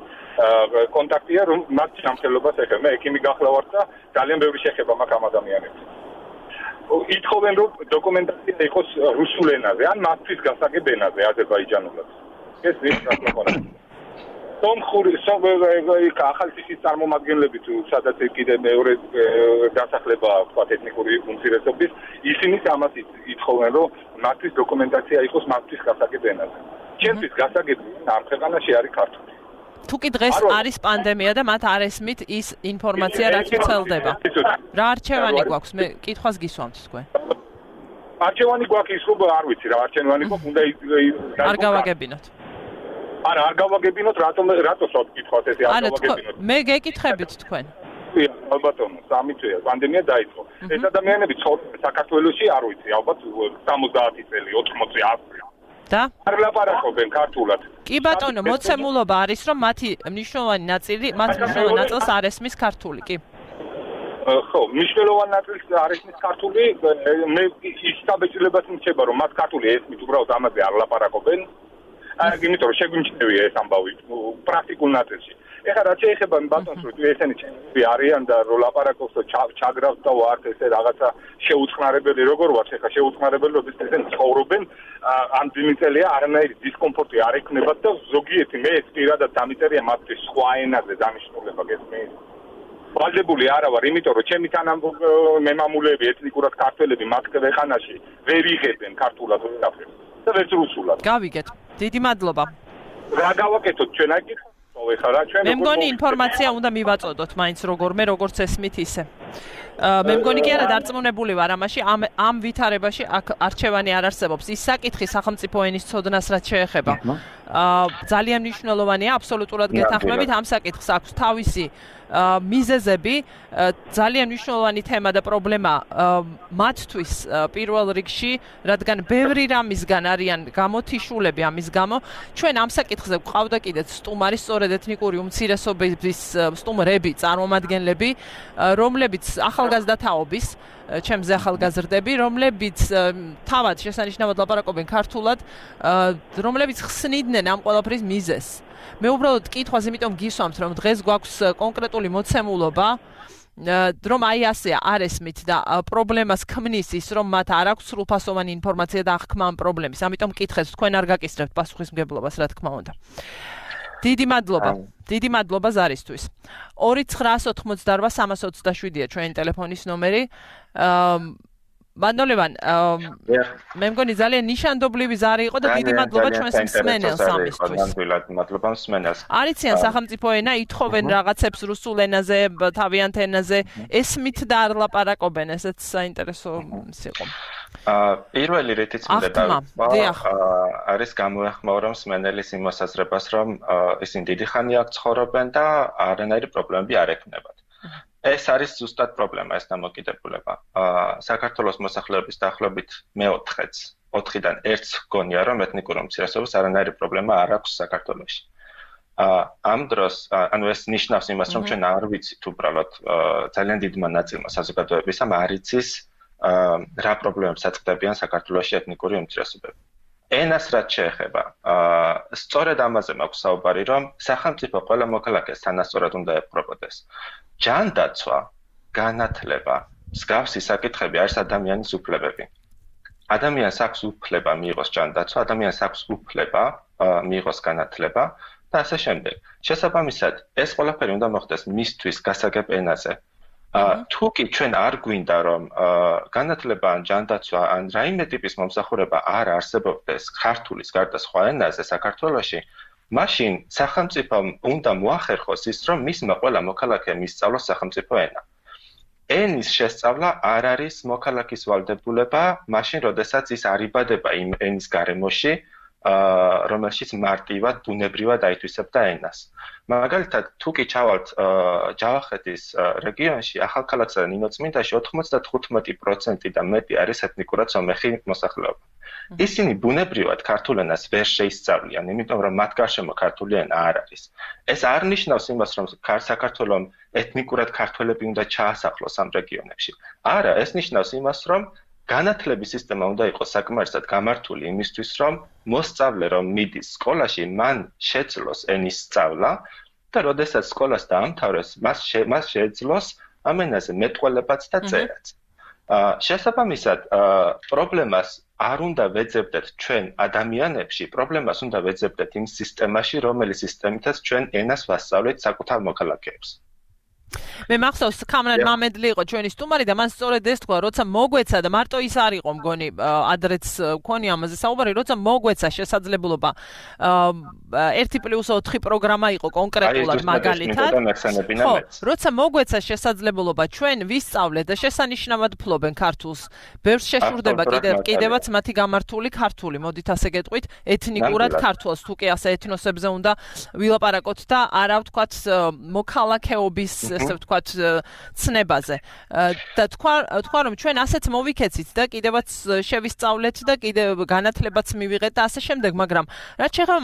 კონტაქტია, რომ მათ ჯანმრთელობას ეხება. მე ექიმი გახლავართ და ძალიან ბევრი შეხება მაქვს ამ ადამიანებს. ითხოვენ, რომ დოკუმენტაცია იყოს რუსულ ენაზე, ან მათთვის გასაგებ ენაზე, აზერბაიჯანულად. ეს ის რა თქმა უნდა. სომხური ახალციხის წარმომადგენლები თუ სადაც კიდე მეორე დასახლება თქვა ეთნიკური უმცირესობის ისინიც ამას ითხოვენ რომ მათთვის დოკუმენტაცია იყოს მათთვის გასაგებ ენაზე. ჩემთვის გასაგები ამ ქვეყანაში არის ქართული. თუ კი დღეს არის პანდემია და მათ არ ესმით ის ინფორმაცია რაც ვრცელდება. რა არჩევანი გვაქვს? მე კითხვას გისვამთ თქვენ. არჩევანი გვაქვს ის რომ არ ვიცი რა არჩევანი გვაქვს უნდა არ გავაგებინოთ. არა არ გავაგებინოთ რატოს გითხოთ ესე არ გავაგებინოთ. მე გეკითხებით თქვენ. ალბათო სამი წელი პანდემია დაიწყო. ეს ადამიანები ცხოვრობენ საქართველოში არ ვიცი ალბათ 70 წელი 80 100 და არ ლაპარაკობენ ქართულად. კი ბატონო, მოცემულობა არის რომ მათი მნიშვნელოვანი ნაწილს არ ესმის ქართული, კი. ხო, მნიშვნელოვანი ნაწილს არ ესმის ქართული, მე ის საბეჭდილებას მიცება რომ მათ ქართული ესმით, უბრალოდ ამაზე არ ლაპარაკობენ. იმიტომ რომ შეგვიმჩნევია ეს ამბავი პრაქტიკულ ნაწილში. ეხლა რაც შეეხება ბატონს რომ ესენი ჩემი არიან და რომ ლაპარაკობს და ჩაგრავს და ვართ ესე რაღაცა შეუწყნარებელი როგორ ვართ ეხლა შეუწყნარებელი რომ ესენი ცხოვრობენ ამ ძიმიწელია არანაირი დისკომფორტი არ ექნებათ და ზოგიერთი მე ეს პირადად დამიწერია მათთვის სხვა ენაზე დანიშნულება გესმის ვალდებული არა ვარ იმიტომ რომ ჩემი თანამემამულეები ეთნიკურად ქართველები მათ ქვეყანაში ვერ იღებენ ქართულად ვერაფერს და ვერც რუსულად გავიგეთ დიდი მადლობა რა გავაკეთოთ ჩვენ აი მე მგონი ინფორმაცია უნდა მივაწოდოთ მაინც როგორმე როგორც ესმით ისე მე მგონი კი არა დარწმუნებული ვარ ამაში ამ ვითარებაში არჩევანი არ არსებობს ის საკითხი სახელმწიფო ენის ცოდნას რაც შეეხება ძალიან მნიშვნელოვანია აბსოლუტურად გეთანხმებით ამ საკითხს აქვს თავისი მიზეზები ძალიან მნიშვნელოვანი თემა და პრობლემა მათთვის პირველ რიგში რადგან ბევრი რამისგან არიან გამოთიშულები ამის გამო ჩვენ ამ საკითხზე გვყავდა კიდეც სტუმარი სწორედ ეთნიკური უმცირესობების სტუმრები წარმომადგენლები რომლებიც ახალგაზრდა თაობის ჩემზე ახალგაზრდები რომლებიც თავად შესანიშნავად ლაპარაკობენ ქართულად რომლებიც ხსნიდნენ ამ ყველაფრის მიზეზს მე უბრალოდ კითხვას იმიტომ გისვამთ რომ დღეს გვაქვს კონკრეტული მოცემულობა რომ აი ასე არ ესმით და პრობლემას ქმნის ის რომ მათ არ აქვს სრულფასოვანი ინფორმაცია და აღქმა ამ პრობლემის ამიტომ მკითხეთ თქვენ არ გაკისრებთ პასუხისმგებლობას რა თქმა უნდა დიდი მადლობა ზარისთვის 2988-327-ია ჩვენი ტელეფონის ნომერი მადლობან მე მგონი ძალიან ნიშანდობლივი ზარი იყო და დიდი მადლობა ჩვენს მსმენელს ამისთვის მადლობა მსმენელს არიციან სახელმწიფო ენა ითხოვენ რაღაცებს რუსულ ენაზე თავიანთ ენაზე ესმით და არ ლაპარაკობენ ესეც საინტერესო იყო პირველი რითიც არის გამოეხმაურა მსმენელის იმ მოსაზრებას რომ ისინი დიდი ხანი აქ ცხოვრობენ და არანაირი პრობლემები არ ექნებათ ეს არის ზუსტად პრობლემა ეს დამოკიდებულება. საქართველოს მოსახლეობის დაახლოებით მე-4-ს 4-დან 1-ს გონია რომ ეთნიკური უმცირესობის არანაირი პრობლემა არ აქვს საქართველოში. ამ დროს ანუ ეს ნიშნავს იმას რომ ჩვენ არ ვიცით უბრალოდ ძალიან დიდმა ნაწილმა საზოგადოებისამ არ იცის რა პრობლემებს აწყდებიან საქართველოში ეთნიკური უმცირესობები. ენას რაც შეეხება სწორედ ამაზე მაქვს საუბარი რომ სახელმწიფო ყველა მოქალაქეს თანასწორად უნდა ეპყრობოდეს. ჯანდაცვა, განათლება, მსგავსი საკითხები არის ადამიანის უფლებები. ადამიანს აქვს უფლება მიიღოს ჯანდაცვა, ადამიანს აქვს უფლება მიიღოს განათლება და ასე შემდეგ. შესაბამისად, ეს ყველაფერი უნდა მოხდეს მისთვის გასაგებ ენაზე. თუ კი ჩვენ არ გვინდა რომ განათლება ან ჯანდაცვა ან რაიმე ტიპის მომსახურება არ არსებობდეს ქართულის გარდა სხვა ენაზე საქართველოში მაშინ სახელმწიფომ უნდა მოახერხოს ის რომ მისმა ყველა მოქალაქემ ისწავლოს სახელმწიფო ენა. ენის შესწავლა არ არის მოქალაქის ვალდებულება, მაშინ როდესაც ის არიბადება იმ ენის გარემოში, რომელშიც მარტივად ბუნებრივად აითვისებდა ენას. მაგალითად, თუ კი ჩავალთ ჯავახეთის რეგიონში, ახალქალაქსა და ნინოწმინდაში 95% და მეტი არის ეთნიკურად სომეხი მოსახლეობა. ისინი ბუნებრივად ქართულ ენას ვერ შეისწავლიან, იმიტომ რომ მათ გარშემო ქართული ენა არ არის. ეს არ ნიშნავს იმას, რომ საქართველოს ეთნიკურად ქართველები უნდა ჩაასახლოს ამ რეგიონებში. არა, ეს ნიშნავს იმას, რომ განათლების სისტემა უნდა იყოს საკმარისად გამართული იმისთვის, რომ მოსწავლე რომ მიდის სკოლაში, მან შეძლოს ენის სწავლა და როდესაც სკოლას დაამთავრებს, მას შეეძლოს ამ ენაზე მეტყველებაც და წერაც. შესაბამისად, პრობლემას არ უნდა ვეძებდეთ ჩვენ ადამიანებში, პრობლემას უნდა ვეძებდეთ იმ სისტემაში, რომელიც სისტემითაც ჩვენ ენას ვასწავლეთ საკუთარ მოქალაქეებს. მე მახსოვს კამრან მამედლი იყო ჩვენი სტუმარი და მან სწორედ ეს თქვა, როცა მოგვეცა და მარტო ის არ იყო მგონი ადრეც მქონი ამაზე საუბარი, როცა მოგვეცა შესაძლებლობა 1+4 პროგრამა იყო კონკრეტულად მაგალითად. ხო, როცა მოგვეცა შესაძლებლობა ჩვენ ვისწავლეთ და შესანიშნავად ფლობენ ქართულს. ბევრს შეშურდება კიდევაც მათი გამართული ქართული, მოდით ასე გეტყვით, ეთნიკურად ქართულს, თუ კი ასე ეთნოსებზე უნდა ვილაპარაკოთ და არა ვთქვათ მოქალაქეობის ასე ვთქვათ ცნებაზე და თქვა რომ ჩვენ ასეც მოვიქეცით და კიდევაც შევისწავლეთ და კიდევ განათლებაც მივიღეთ და ასე შემდეგ, მაგრამ რაც შეეხება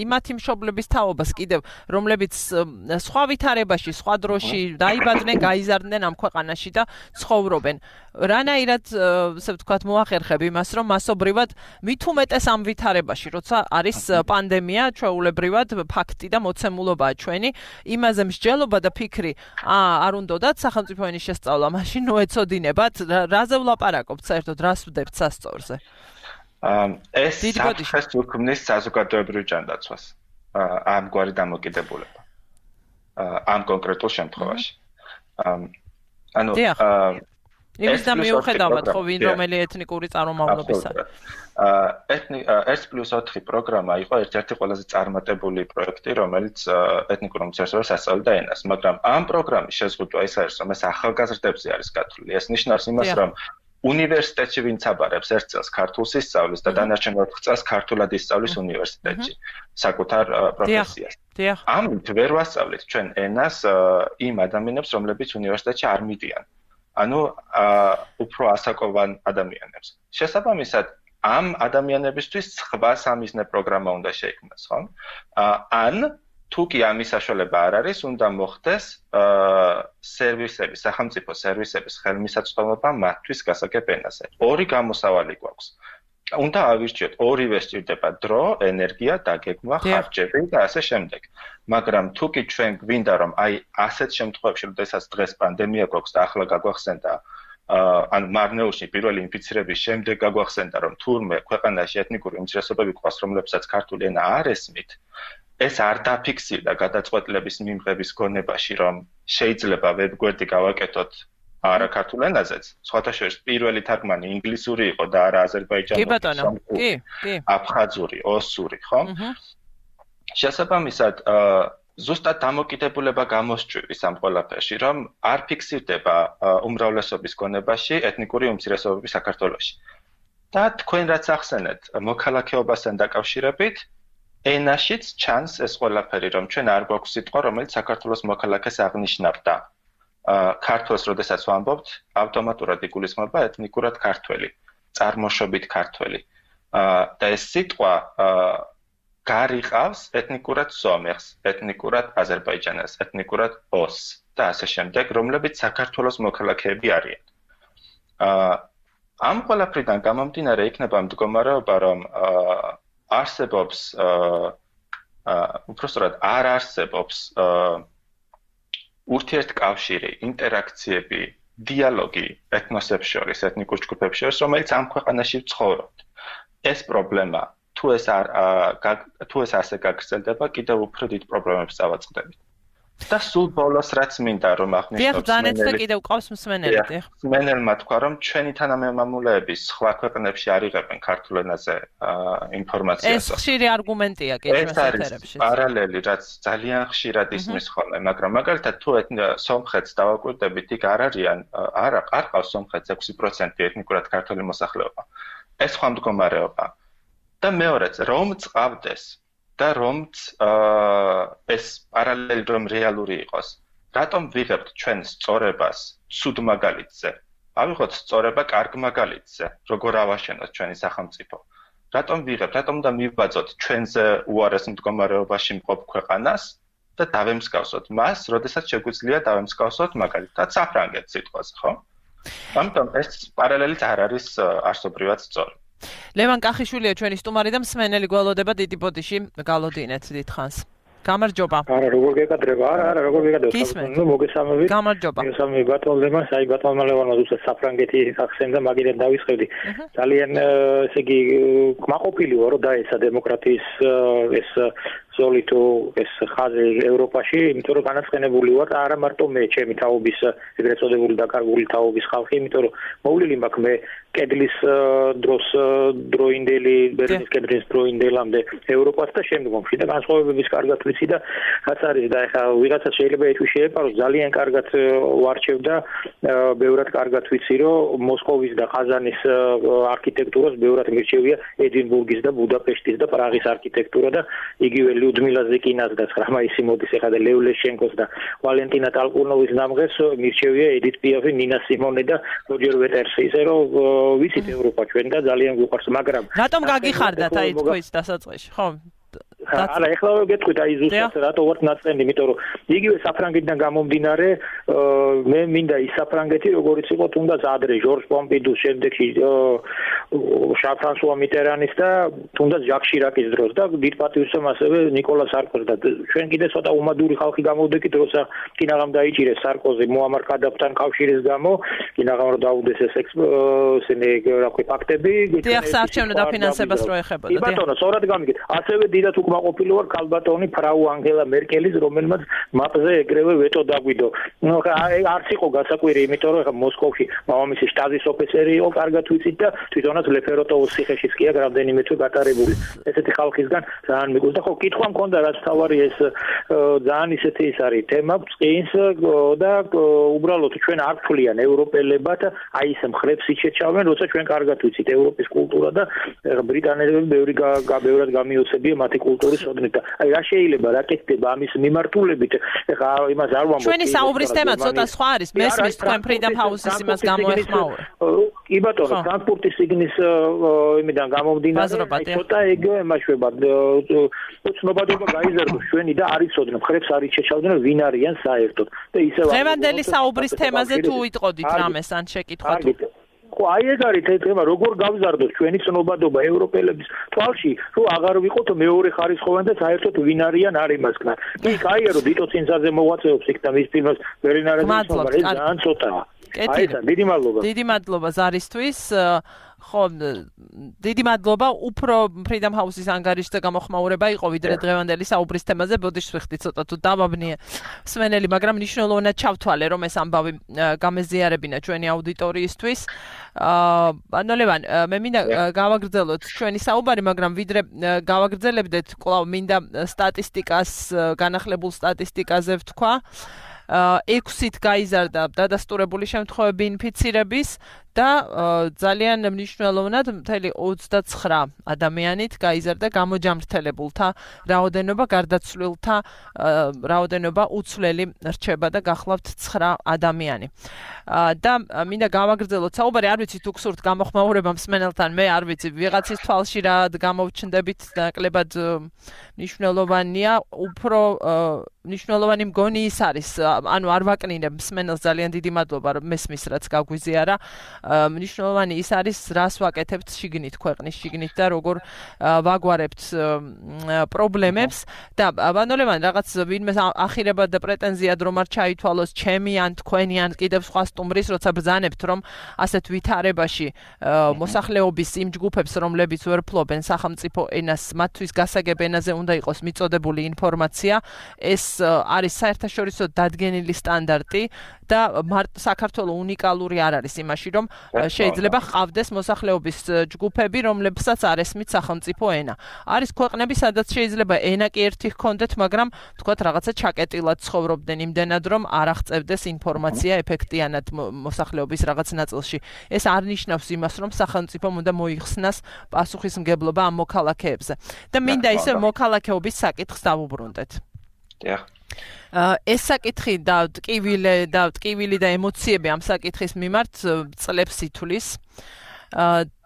იმათი მშობლების თაობას კიდევ რომლებიც სხვა ვითარებაში, სხვა დროში დაიბადნენ, გაიზარდნენ ამ ქვეყანაში და ცხოვრობენ. რანაირად ასე ვთქვათ მოახერხებ იმას, რომ მასობრივად მით უმეტეს ამ ვითარებაში, როცა არის პანდემია, ჩვეულებრივად ფაქტი და მოცემულობაა ჩვენი, იმაზე მსჯელობა და ფიქრი, არ უნდათ სახელმწიფო ენის შესწავლა, მაშინ ნოეცოდინებათ, რაზე ვლაპარაკობთ საერთოდ, რას ვდებთ სასწორზე? ეს საფრთხეს უქმნის საზოგადოებრივ ჯანდაცვას, ამგვარი დამოკიდებულება. ამ კონკრეტულ შემთხვევაში. ანუ იმის და მიუხედავად ხო ვინ რომელი ეთნიკური წარმომავლობისა. 1+4 პროგრამა იყო ერთ-ერთი ყველაზე წარმატებული პროექტი, რომელიც ეთნიკურ უმცირესობებს ასწავლიდა ენას, მაგრამ ამ პროგრამის შეზღუდვა ის არის, რომ ეს ახალგაზრდებზე არის გათვლილი. ეს ნიშნავს იმას, რომ უნივერსიტეტში ვინც აბარებს ერთ წელს ქართულს ისწავლის და დანარჩენ 4 წელს ქართულად ისწავლის უნივერსიტეტში საკუთარ პროფესიას. ამით ვერ ვასწავლეთ ჩვენ ენას იმ ადამიანებს, რომლებიც უნივერსიტეტში არ მიდიან. ანუ უფრო ასაკოვან ადამიანებს. შესაბამისად, ამ ადამიანებისთვის სხვა სამიზნე პროგრამა უნდა შეიქმნას, ხო? ან თუ კი ამის საშუალება არ არის, უნდა მოხდეს სერვისების, სახელმწიფო სერვისების ხელმისაწვდომობა მათთვის გასაგებ ენაზე. ორი გამოსავალი გვაქვს. უნდა ავირჩიოთ, ორივე სჭირდება დრო, ენერგია, დაგეგმვა, ხარჯები და ასე შემდეგ. მაგრამ თუ კი ჩვენ გვინდა რომ აი ასეთ შემთხვევებში, როდესაც დღეს პანდემია გვაქვს და ახლა გაგვახსენდა ან მარნეულში პირველი ინფიცირების შემდეგ გაგვახსენდა რომ თურმე ქვეყანაში ეთნიკური უმცირესობები გვყავს, რომლებსაც ქართული ენა არ ესმით, ეს არ დაფიქსირდა გადაწყვეტილების მიღების გონებაში, რომ შეიძლება ვებგვერდი გავაკეთოთ არა ქართულ ენაზეც. სხვათა შორის პირველი თარგმანი ინგლისური იყო და არა აზერბაიჯანული, აფხაზური, ოსური, ხო? შესაბამისად, ზუსტად დამოკიდებულება გამოსჭვივის ამ ყველაფერში, რომ არ ფიქსირდება უმრავლესობის გონებაში ეთნიკური უმცირესობები საქართველოში. და თქვენ რაც ახსენეთ, მოქალაქეობასთან დაკავშირებით, ენაშიც ჩანს ეს ყველაფერი, რომ ჩვენ არ გვაქვს სიტყვა, რომელიც საქართველოს მოქალაქეს აღნიშნავდა. ქართველს, როდესაც ვამბობთ, ავტომატურად იგულისხმება ეთნიკურად ქართველი, წარმოშობით ქართველი. და ეს სიტყვა გარიყავს ეთნიკურად სომეხს, ეთნიკურად აზერბაიჯანელს, ეთნიკურად ოსს და ასე შემდეგ, რომლებიც საქართველოს მოქალაქეები არიან. ამ ყველაფრიდან გამომდინარე იქნება მდგომარეობა, რომ არსებობს უпростоრად არ არსებობს ურთიერთკავშირი, ინტერაქციები, დიალოგი ეთნოსებს შორის, ეთნიკურ ჯგუფებს შორის, რომელიც ამ ქვეყანაში ცხოვრობთ. ეს პრობლემა თუ ეს ასე გაგრძელდება, კიდევ უფრო დიდ პრობლემებს წავაწყდებით. და სულ ბოლოს რაც მინდა რომ აღნიშნოს, კიდევ ყავს მსმენელი. მსმენელმა თქვა, რომ ჩვენი თანამემამულეები სხვა ქვეყნებში არ იღებენ ქართულ ენაზე ინფორმაციას. ეს ხშირი არგუმენტია კიდევ ეს პარალელი, რაც ძალიან ხშირად ისმის ხოლმე, მაგრამ მაგალითად თუ სომხეთს დავაკვირდებით, იქ არ ყავს სომხეთს 6% ეთნიკურად ქართული მოსახლეობა. ეს სხვა მდგომარეობა. და მეორეც, რომ წავდეს და რომც ეს პარალელი რომ რეალური იყოს, რატომ ვიღებთ ჩვენ სწორებას ცუდ მაგალითზე? ავიღოთ სწორება კარგ მაგალითზე, როგორ ავაშენოთ ჩვენი სახელმწიფო. რატომ ვიღებთ, რატომ და მივბაძოთ ჩვენზე უარეს მდგომარეობაში მყოფ ქვეყანას და დავემსგავსოთ მას, როდესაც შეგვიძლია დავემსგავსოთ მაგალითად საფრანგეთს სიტყვაზე, ხო? ამიტომ ეს პარალელიც არ არის არსობრივად სწორი. ლევან კახიშვილია ჩვენი სტუმარი და მსმენელი გველოდება დიდი ბოდიში გალოდინეთ დიდხანს. გამარჯობა. არა, როგორ გეკადრება? არა, როგორ გეკადრება? ნუ მოგესალმებით. გამარჯობა. მოგესალმებით ბატონებმა, ბატონმა ლევანმა უბრალოდ საფრანგეთი ახსენდა, მაგიდან დავისხევდი. ძალიან ესე იგი კმაყოფილი ვარ, რომ დაეცა დემოკრატიის ეს ზოლი თუ ეს ხაზი ევროპაში, იმიტომ რომ განაცხენებული ვარ არა მარტო მე, ჩემი თაობის ეგრეთ წოდებული დაკარგული თაობის ხალხი, იმიტომ რომ მოვლილი მაქვს მე კედლის დროს დროინდელი ბერლინის კედლის დროინდელამდე ევროპას და შემდგომში და განსხვავებების კარგად ვიცი და რაც არის და ეხლა ვიღაცა შეიძლება ეთვი შეეპაროს ძალიან კარგად ვარჩევ და ბევრად კარგად ვიცი რომ მოსკოვის და ყაზანის არქიტექტურას ბევრად მირჩევია ედინბურგის და ბუდაპეშტის და პრაღის არქიტექტურა და იგივე ლიუდმილა ზეკინას და ხრამაისიმოდის ეხლა და ლევ ლეშენკოს და ვალენტინა ტალკუნოვის ნამღერს მირჩევია ედით პიაფი, ნინა სიმონე და როჯერ ვეტერსი ისე რომ ვიცით ევროპა ჩვენ და ძალიან გვიყვარს, მაგრამ რატომ გაგიხარდათ აი თქვენს დასაწყისში, ხო? არა, ეხლა გეტყვით აი ზუსტად რატო ვარ ნაწყენი, იმიტომ რომ იგივე საფრანგეთიდან გამომდინარე მე მინდა ის საფრანგეთი როგორიც იყო თუნდაც ადრე ჟორჟ პომპიდუს შემდეგში შარლ-ფრანსუა მიტერანის და თუნდაც ჟაკ შირაკის დროს და დიდ პატივისცემ ასევე ნიკოლა სარკოზი და ჩვენ კიდე ცოტა უმადური ხალხი გამოვდექით როცა კინაღამ დაიჭირეს სარკოზი მუამარ კადაფთან კავშირის გამო კინაღამ რომ დაუდეს ეს ესენი რა ქვია ფაქტები დიახ საარჩევნო დაფინანსებას რო ეხებოდა დიახ ბატონო სწორად გამიგეთ ასევე დიდად უკმაყოფილი ვარ ქალბატონი ფრაუ ანგელა მერკელის რომელმაც მაპზე ეგრევე ვეტო დაგვიდო ნუ არც იყო გასაკვირი იმიტომ რომ მოსკოვში მამამისი შტაზის ოფიცერი იყო კარგად ვიცით და თვითონაც ლეფეროტოვის ციხეშიც კი აქ რამდენიმე თვე გატარებული ესეთი ხალხისგან ძალიან მიგულს და ხო კითხვა მქონდა რაც თავარი ეს ძალიან ისეთი ის არის თემა წინს და უბრალოდ ჩვენ არ ვთვლიან ევროპელებად აი ეს მხრებს იჩეჩავენ როცა ჩვენ კარგად ვიცით ევროპის კულტურა და ბრიტანელები ბევრად გამიოცებია მათი კულტურის ოდნით და აი რა შეიძლება რა კეთდება ამის მიმართულებით ეხა იმას არ ვამბობ ჩვენი საუბრის თემა ცოტა სხვა არის მესმის თქვენ ფრიდამ ჰაუსის იმას გამოეხმაურე კი ბატონო ფრანკფურტის სიგნის იმიდან გამომდინარე ცოტა ეგ ემაშვება ცნობადობა გაიზარდოს ჩვენი და არ იცოდნენ ხრებს არ იჩეჩავდნენ ვინ არიან საერთოდ და ისევ დღევანდელი საუბრის თემაზე თუ იტყოდით რამეს ან შეკითხვა თუ ხო აი ეს არის თემა როგორ გავზარდოს ჩვენი ცნობადობა ევროპელების თვალში რომ აღარ ვიყოთ მეორე ხარისხოვანი და საერთოდ ვინ არიან არ იმასკნა კი კაია რომ დიტო წინსაზე მოღვაწეობს იქ და მის ფილმს ვერინარეს მოგწონს ეს ძალიან ცოტაა აი ეს დიდი მადლობა დიდი მადლობა ზარისთვის ხო დიდი მადლობა უფრო ფრიდამ ჰაუსის ანგარიშზე გამოხმაურება იყო ვიდრე დღევანდელი საუბრის თემაზე ბოდიში ვიხდი ცოტა თუ დავაბნიე მსმენელი მაგრამ მნიშვნელოვნად ჩავთვალე რომ ეს ამბავი გამეზიარებინა ჩვენი აუდიტორიისთვის ანუ ლევან მე მინდა გავაგრძელოთ ჩვენი საუბარი მაგრამ ვიდრე გავაგრძელებდეთ კვლავ მინდა სტატისტიკას განახლებულ სტატისტიკაზე ვთქვა 6-ით გაიზარდა დადასტურებული შემთხვევები ინფიცირების და ძალიან მნიშვნელოვნად მთელი 29 ადამიანით გაიზარდა გამოჯამრთელებულთა რაოდენობა, გარდაცვლილთა რაოდენობა უცვლელი რჩება და გახლავთ 9 ადამიანი. და მინდა გავაგრძელოთ საუბარი, არ ვიცი თუ გსურთ გამოხმაურება მსმენელთან, მე არ ვიცი, ვიღაცის თვალში რა გამოვჩნდებით ნაკლებად მნიშვნელოვანია, უფრო მნიშვნელოვანი მგონი ის არის, ანუ არ ვაკნინებ მსმენელს ძალიან დიდი მადლობა რომ მესმის რაც გაგვიზიარა. მნიშვნელოვანი ის არის რას ვაკეთებთ შიგნით ქვეყნის შიგნით და როგორ ვაგვარებთ პრობლემებს და ბანოლევან რაღაც ვინმე ახირება და პრეტენზიად რომ არ ჩაითვალოს ჩემი ან თქვენი ან კიდევ სხვა სტუმრის როცა ბრძანებთ რომ ასეთ ვითარებაში მოსახლეობის იმ ჯგუფებს რომლებიც ვერ ფლობენ სახელმწიფო ენას მათთვის გასაგებ ენაზე უნდა იყოს მიწოდებული ინფორმაცია ეს არის საერთაშორისო დადგენილი სტანდარტი და საქართველოს უნიკალური არ არის იმაში რომ შეიძლება ჰყავდეს მოსახლეობის ჯგუფები რომლებსაც არ ესმით სახელმწიფო ენა. არის ქვეყნები სადაც შეიძლება ენა კი ერთი ჰქონდეთ, მაგრამ თქვათ რაღაცა ჩაკეტილად ცხოვრობდნენ იმდენად რომ არ აღწევდეს ინფორმაცია ეფექტიანად მოსახლეობის რაღაც ნაწილში. ეს არ ნიშნავს იმას რომ სახელმწიფომ უნდა მოიხსნას პასუხისმგებლობა ამ მოქალაქეებზე. და მინდა ისე მოქალაქეობის საკითხს დავუბრუნდეთ. დიახ. ეს საკითხი და ტკივილი და ემოციები ამ საკითხის მიმართ წლებს ითვლის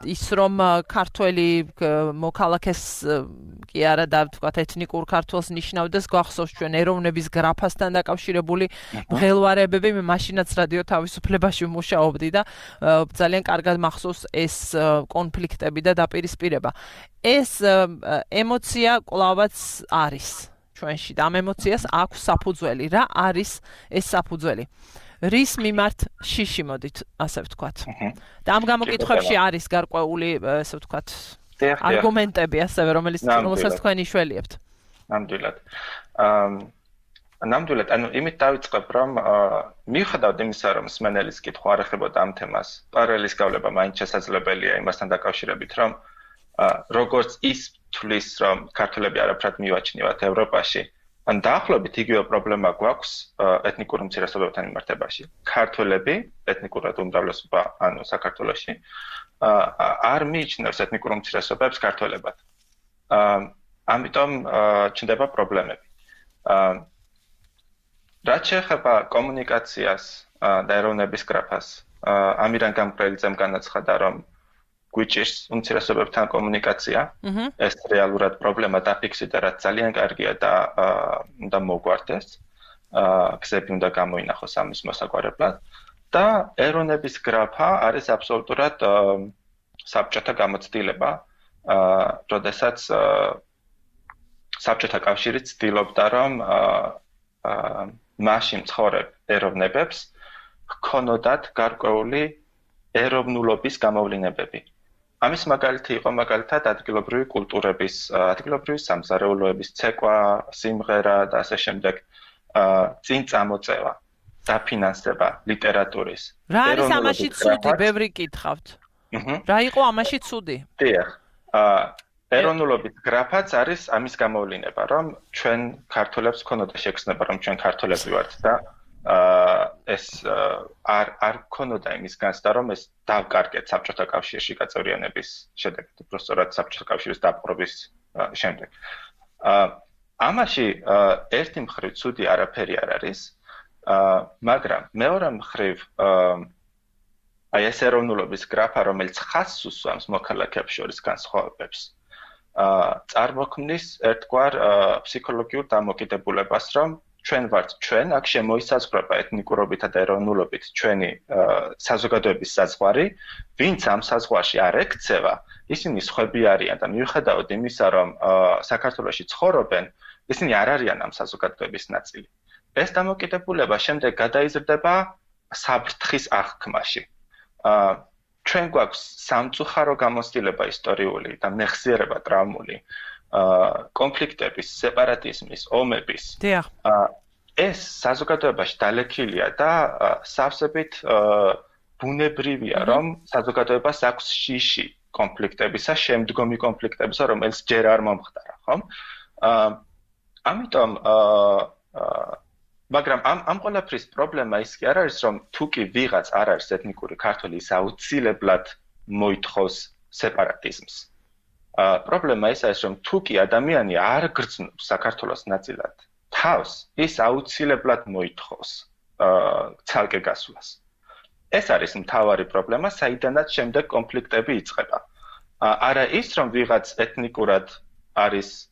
ის რომ ქართველი მოქალაქეს კი არა და ვთქვათ ეთნიკურ ქართველს ნიშნავდეს გვახსოვს ჩვენ ეროვნების გრაფასთან დაკავშირებული მღელვარებები მე მაშინაც რადიო თავისუფლებაში ვმუშაობდი და ძალიან კარგად მახსოვს ეს კონფლიქტები და დაპირისპირება ეს ემოცია კვლავაც არის ჩვენში და ამ ემოციას აქვს საფუძველი. რა არის ეს საფუძველი? რის მიმართ შიში მოდით, ასე ვთქვათ. და ამ გამოკითხვებში არის გარკვეული, ასე ვთქვათ, არგუმენტები, ასევე რომელსაც თქვენ იშველიებთ. ნამდვილად. ნამდვილად, ანუ იმით დავიწყებ, რომ მიუხედავად იმისა, რომ მსმენელის კითხვა არ ეხებოდა ამ თემას, პარალელის გავლება მაინც შესაძლებელია იმასთან დაკავშირებით, რომ როგორც ის თვლის, რომ ქართველები არაფრად მივაჩნიათ ევროპაში, ან დაახლოებით იგივე პრობლემა გვაქვს ეთნიკურ უმცირესობებთან მიმართებაში. ქართველები, ეთნიკურად უმრავლესობა, ანუ საქართველოში, არ მიიჩნევს ეთნიკურ უმცირესობებს ქართველებად. ამიტომ ჩნდება პრობლემები. რაც შეეხება კომუნიკაციას და ეროვნების გრაფას, ამირან გამყრელიძემ განაცხადა, რომ გვიჭირს უმცირესობებთან კომუნიკაცია. ეს რეალურად პრობლემა დაფიქსირდა, რაც ძალიან კარგია და უნდა მოგვარდეს. გზები უნდა გამოინახოს ამის მოსაგვარებლად და ეროვნების გრაფა არის აბსოლუტურად საბჭოთა გამოცდილება, როდესაც საბჭოთა კავშირი ცდილობდა, რომ მასში მცხოვრებ ეროვნებებს ჰქონოდათ გარკვეული ეროვნულობის გამოვლინებები. ამის მაგალითი იყო მაგალითად ადგილობრივი კულტურების, ადგილობრივი სამზარეულოების ცეკვა, სიმღერა და ასე შემდეგ, წინ წამოწევა, დაფინანსება ლიტერატურის. რა არის ამაში ცუდი? ბევრი კითხავთ. რა იყო ამაში ცუდი? დიახ. ეროვნულობის გრაფაც არის ამის გამოვლინება, რომ ჩვენ ქართველებს ქონოდა შეგრძნება, რომ ჩვენ ქართველები ვართ და ეს არ ქონოდა იმის განცდა, რომ ეს დავკარგეთ საბჭოთა კავშირში გაწევრიანების შედეგად, უბრალოდ საბჭოთა კავშირის დაპყრობის შემდეგ. ამაში ერთი მხრივ ცუდი არაფერი არ არის, მაგრამ მეორე მხრივ აი ეს ეროვნულობის გრაფა, რომელიც ხაზს უსვამს მოქალაქეებს შორის განსხვავებებს, წარმოქმნის ერთგვარ ფსიქოლოგიურ დამოკიდებულებას, რომ ჩვენ ვართ ჩვენ, აქ შემოისაზღვრება ეთნიკურობითა და ეროვნულობით ჩვენი საზოგადოების საზღვარი, ვინც ამ საზღვარში არ ექცევა, ისინი სხვები არიან და მიუხედავად იმისა, რომ საქართველოში ცხოვრობენ, ისინი არ არიან ამ საზოგადოების ნაწილი. ეს დამოკიდებულება შემდეგ გადაიზრდება საფრთხის აღქმაში. ჩვენ გვაქვს სამწუხარო გამოცდილება ისტორიული და მეხსიერება ტრაუმული კონფლიქტების, სეპარატიზმის, ომების. ეს საზოგადოებაში დალექილია და სავსებით ბუნებრივია, რომ საზოგადოებას აქვს შიში კონფლიქტებისა, შემდგომი კონფლიქტებისა, რომელიც ჯერ არ მომხდარა, ხო? ამიტომ მაგრამ ამ ყველაფრის პრობლემა ის კი არ არის, რომ თუ კი ვიღაც არ არის ეთნიკური ქართველი, ის აუცილებლად მოითხოვს სეპარატიზმს. პრობლემა ის არის, რომ თუ კი ადამიანი არ გრძნობს საქართველოს ნაწილად თავს, ის აუცილებლად მოითხოვს ცალკე გასვლას. ეს არის მთავარი პრობლემა, საიდანაც შემდეგ კონფლიქტები იწყება. არა ის, რომ ვიღაც ეთნიკურად არის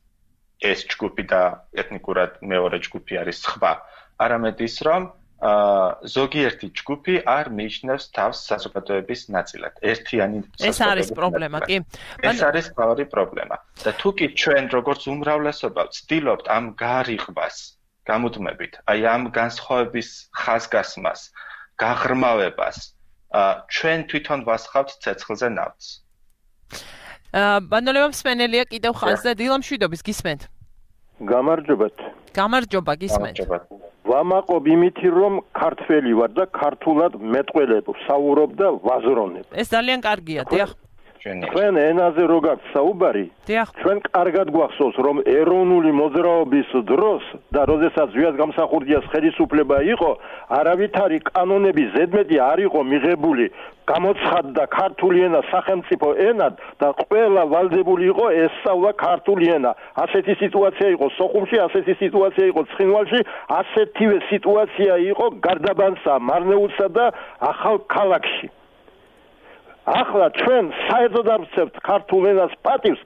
ეს ჯგუფი და ეთნიკურად მეორე ჯგუფი არის სხვა, არამედ ის, რომ ზოგიერთი ჯგუფი არ მიიჩნევს თავს საზოგადოების ნაწილად. ერთიანი ეს არის პრობლემა, კი? ეს არის მთავარი პრობლემა. და თუ კი ჩვენ როგორც უმრავლესობა ვცდილობთ ამ გარიყვას გამუდმებით, აი ამ განსხვავების ხაზგასმას, გაღრმავებას, ჩვენ თვითონ ვასხავთ ცეცხლზე ნავთს. ბანოლევა მსმენელია კიდევ ხაზზე, დილამშვიდობის გისმენთ. გამარჯობათ. გამარჯობა, გისმენთ. ვამაყობ იმითი, რომ ქართველი ვარ და ქართულად მეტყველებ, საუბრობ და ვაზრონებ. ეს ძალიან კარგია, დიახ. ჩვენ ენაზე რო გაქვს საუბარი, ჩვენ კარგად გვახსოვს, რომ ეროვნული მოძრაობის დროს და როდესაც ვიას გამსახურდიას ხელისუფლება იყო, არავითარი კანონები ზედმეტი არ იყო მიღებული, გამოცხადდა ქართული ენა სახელმწიფო ენად და ყველა ვალდებული იყო ესწავლა ქართული ენა. ასეთი სიტუაცია იყო სოხუმში, ასეთი სიტუაცია იყო ცხინვალში, ასეთივე სიტუაცია იყო გარდაბანსა, მარნეულსა და ახალ ქალაქში. ახლა ჩვენ საერთოდ არ ვცევთ ქართულ ენას პატივს,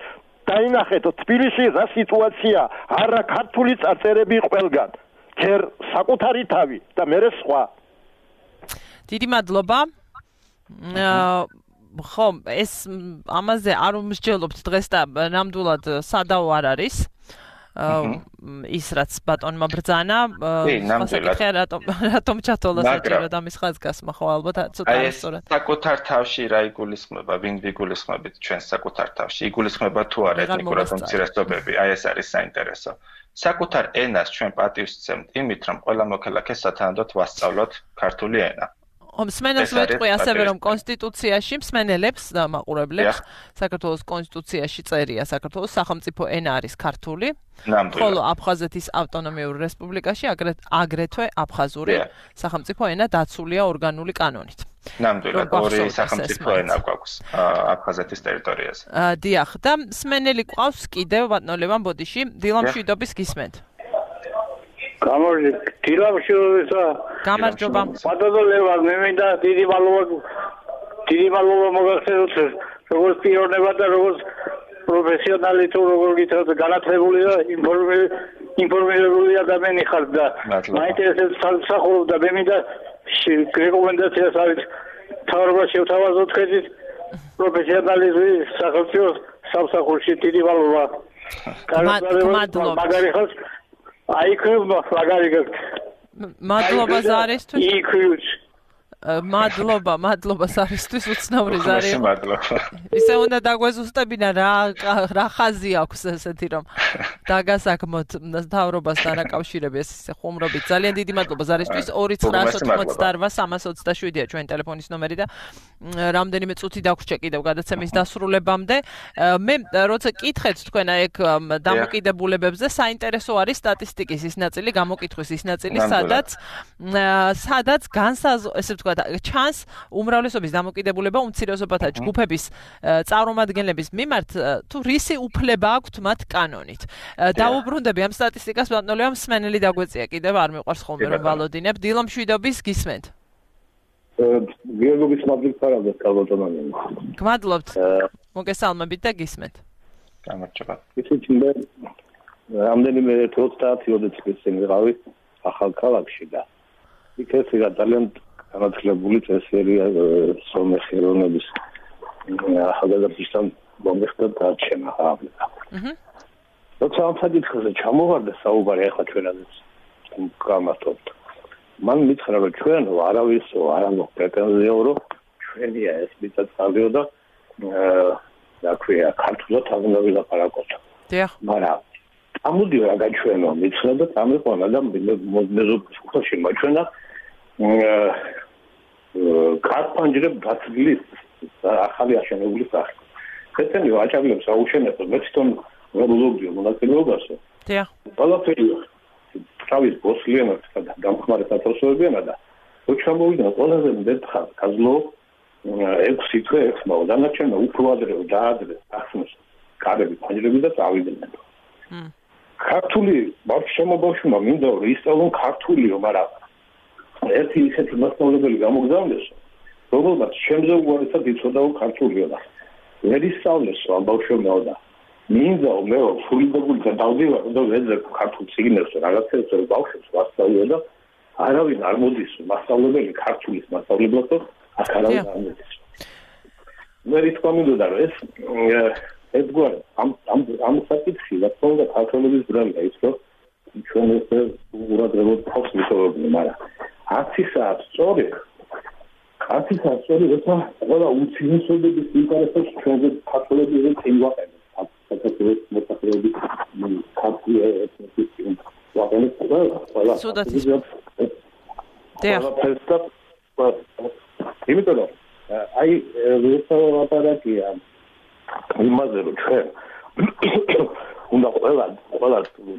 დაინახეთ თბილისში რა სიტუაცია, არა ქართული წარწერები ყველგან, ჯერ საკუთარი თავი და მერე სხვა. დიდი მადლობა. ხო, ეს ამაზე არ უმსჯელობთ დღეს და ნამდვილად სადაო არ არის. ის რაც ბატონმა ბრძანა ნამდვილად რატომ ჩათვალა საჭიროდ ამის ხაზგასმა ხო ალბათ ცოტა სწორად საკუთარ თავში რა იგულისხმება ვინ ვიგულისხმებით ჩვენ საკუთარ თავში იგულისხმება თუ არა ეთნიკურად უმცირესობები აი ეს არის საინტერესო საკუთარ ენას ჩვენ პატივს ვცემთ იმით რომ ყველა მოქალაქე სათანადოდ ვასწავლოთ ქართული ენა მსმენელს ვეთქვი ასევე რომ კონსტიტუციაში მსმენელებს და მაყურებლებს საქართველოს კონსტიტუციაში წერია საქართველოს სახელმწიფო ენა არის ქართული ხოლო აფხაზეთის ავტონომიურ რესპუბლიკაში აგრეთვე აფხაზური სახელმწიფო ენა დაცულია ორგანული კანონით ნამდვილად ორი სახელმწიფო ენა გვაქვს აფხაზეთის ტერიტორიაზე დიახ და მსმენელი ყავს კიდევ ბატონო ლევან ბოდიში დილამშვიდობის გისმენთ გამარჯობა ბატონო ლევან მე მინდა დიდი მადლობა მოგახსენოთ როგორც პიროვნება და როგორც პროფესიონალი თუ როგორ გითხრათ განათლებული და ინფორმირებული ადამიანი ხართ და მაინტერესებს სამსახურობ და მე მინდა რეკომენდაციას არის თავრობას შევთავაზოთ ხედით პროფესიონალიზმი სახელმწიფო სამსახურში დიდი მადლობა მაგარი ხალხ აიქრევ მაგარი მადლობა ზარისთვის იქრევს მადლობა ზარისთვის უცნაური ზარი მადლობა ისე უნდა დაგვეზუსტებინა რა ხაზი აქვს ესეთი რომ დაგასაქმოთ თავრობასთან აკავშირებს ესე ხუმრობით ძალიან დიდი მადლობა ზარისთვის 2988327-ია ჩვენ ტელეფონის ნომერი და რამდენიმე წუთი დაგვრჩა კიდევ გადაცემის დასრულებამდე მე როცა კითხეთ თქვენ ეგ დამოკიდებულებებზე საინტერესო არის სტატისტიკის ის ნაწილი გამოკითხვის ის ნაწილი სადაც ესე ვთქვათ ჩანს უმრავლესობის დამოკიდებულება უმცირესობათა ჯგუფების წარმომადგენლების მიმართ თუ რისი უფლება აქვთ მათ კანონით დაუბრუნდები ამ სტატისტიკას ბატონო ლევან მსმენელი დაგვეწია კიდევ არ მიყვარს ხოლმე რომ ვალოდინებ დილამშვიდობის გისმენთ გიორგის მადლობთ კალბატონანი გმადლობთ მოგესალმებით და გისმენთ გამარჯობა ისიც მე რამდენიმე 30-20 წლის წინ ვიყავი ახალ ქალაქში და იქ ეს იყო ძალიან განათლებული წესიერია სომეხი ეროვნების ახალგაზრდისთან მომიხდა დარჩენა აღება. როცა ამ საკითხზე ჩამოვარდა საუბარი ახლა ჩვენაზეც გამართობთ. მან მითხრა რომ ჩვენ არავისო არ აქვს პრეტენზია რომ ჩვენია ეს მიწა-წყალიო და რა ქვია ქართულად არ უნდა ვილაპარაკოთ. დიახ. მაგრამ ამოდი რა გაჩვენო მითხრა და წამიყვანა და მეზობლში მაჩვენა ქართპანჯრებ გაცვლის ახალი აშენებული სახე. ხეთენი აჭარლებს აუშენებენ მე თვითონ ვეულობდიო მონაწილეობასო. დიახ. ყველაფერი თავის ბოსლიანად დამხმარე საწოლოებიანა და რო ჩამოვიდა ყველაზე მეტხარ გაზლო 6 თვე 6 მაო დანარჩენმა უფრო ადრე დაადრეს ახსნეს კარები პანჯრები და წავიდნენ. ქართული ბავშვებმა მინდა რომ ისწავლონ ქართულიო, მაგრამ ერთი ისეთი მასწავლებელი გამოგზავნეს, რომელმაც შემზე უარესად იცოდაო ქართულიო და ვერ ისწავლესო ამ ბავშვებმა და მინდა მე ფულიდებული და დავდივარ და ვეძებ ქართულ წიგნებს რაღაცებს რომ ბავშვებს ვასწავლიო და არავინ არ მოდის მასწავლებელი ქართულის მასწავლებლად და აქ არავინ არ მოდის. მე რითქვა მინდოდა რომ ედგარ ამ საკითხი რა თქმა უნდა ქართულების ბრალია ის რომ ჩვენ ეს ურადღებოდ თავს ვიტოვებდნენ, მაგრამ 10 საათი სწორი როცა ყველა უმცირესობების ინტერესებს ჩვენზე ქართულებზე წინვაყენებს საქართველოს მოსახლეობის ქართული ეთნიკის ვაყენებს ყველა იმიტომ რომ აი ვეცალაპარაკია იმაზე რომ ჩვენ უნდა ყველა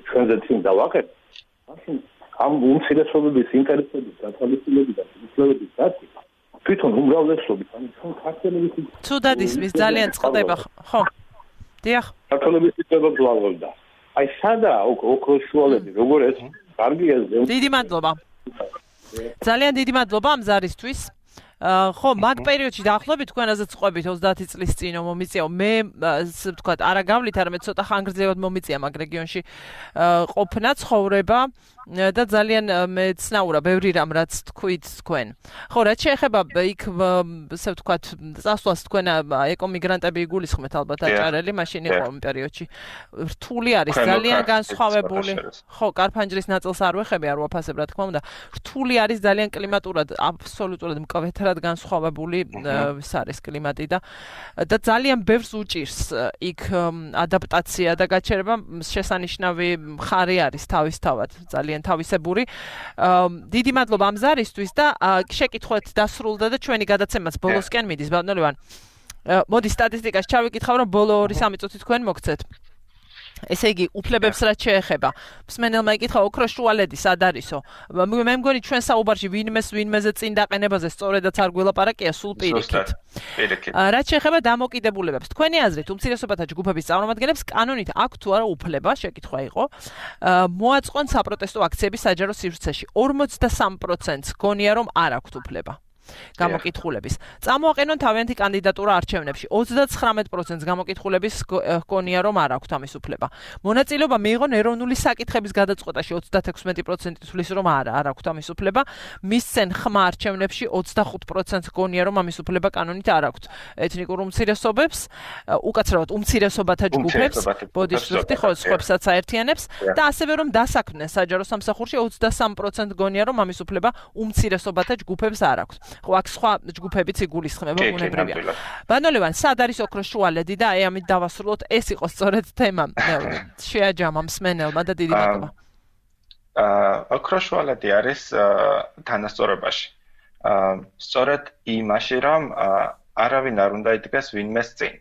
ჩვენზე წინ დავაყენოთ მაშინ ამ უმცირესობების ინტერესების გათვალისწინებიდან უფლებების დაცვა თვითონ უმრავლესობის ანუ ჩვენ ქართველების ცუდად ისმის ძალიან წყდება ხო დიახ ქართველების უფლებებს ვაღებდა აი სადაა ოქროშუალები როგორ ეს კარგია დიდი მადლობა ძალიან დიდი მადლობა ამ ზარისთვის ხო მაგ პერიოდში დაახლოებით თქვენაზეც ყვებით 30 წლის წინ მომიწია მე ვთქვათ არა გავლით არამედ ცოტა ხანგრძლივად მომიწია მაგ რეგიონში ყოფნა ცხოვრება და ძალიან მეცნაურა ბევრი რამ რაც თქვით თქვენ. ხო, რაც შეეხება იქ ასე ვთქვათ, წასვლას თქვენ ეკომიგრანტები იგულისხმეთ ალბათ აჭარელი, მაშინ იყო იმ პერიოდში. რთული არის, ძალიან განსხვავებული. ხო, კარფანჯრის ნაწილს არ ვეხები, არ ვაფასებ რა თქმა უნდა. რთული არის ძალიან კლიმატურად, აბსოლუტურად მკვეთრად განსხვავებული ის არის კლიმატი და ძალიან ბევრს უჭირს იქ ადაპტაცია და გაჩერება შესანიშნავი მხარე არის თავისთავად, ძალიან თავისებური. დიდი მადლობა ამ ზარისთვის და შეკითხვით დასრულდა და ჩვენი გადაცემაც ბოლოსკენ მიდის, ბატონო ლევან. მოდი სტატისტიკას ჩავიკითხავ, რომ ბოლო 2-3 წუთი თქვენ მოგცეთ. ესე იგი, უფლებებს რაც შეეხება. მსმენელმა იკითხა ოქროს შუალედი სად არისო? მე მგონი ჩვენ საუბარში ვინმეზე წინ დაყენებაზე სწორედაც არ გველაპარაკია, სულ პირიქით. რაც შეეხება დამოკიდებულებებს, თქვენი აზრით, უმცირესობათა ჯგუფების წარმომადგენლებს კანონით აქვს თუ არა უფლება, შეკითხვა იყო, მოაწყონ საპროტესტო აქციები საჯარო სივრცეში. 43%-ს გონია რომ არ აქვთ უფლება. გამოკითხულების. წამოაყენონ თავიანთი კანდიდატურა არჩევნებში. 39%-ს გამოკითხულების ჰგონია რომ არ აქვთ ამის უფლება. მონაწილეობა მიიღონ ეროვნული საკითხების გადაწყვეტაში 36% თვლის რომ არ აქვთ ამის უფლება. მისცენ ხმა არჩევნებში 25%-ს ჰგონია რომ ამის უფლება კანონით არ აქვთ. ეთნიკურ უმცირესობებს, უკაცრავად უმცირესობათა ჯგუფებს, ბოდიშფრიფტი ხო სხვებსაც აერთიანებს და ასევე რომ დასაქმდნენ საჯარო სამსახურში 23% ჰგონია რომ ამის უფლება უმცირესობათა ჯგუფებს არ აქვთ. ხო, აქ სხვა ჯგუფებიც იგულისხმება უნებრივია. ბატონო ლევან, სად არის ოქროს შუალედი და ამით დავასრულოთ, ეს იყო სწორედ თემა. შეაჯამა მსმენელმა და დიდი მადლობა. ოქროს შუალედი არის თანასწორობაში. სწორედ იმაში, რომ არავინ არ უნდა იდგეს ვინმეს წინ.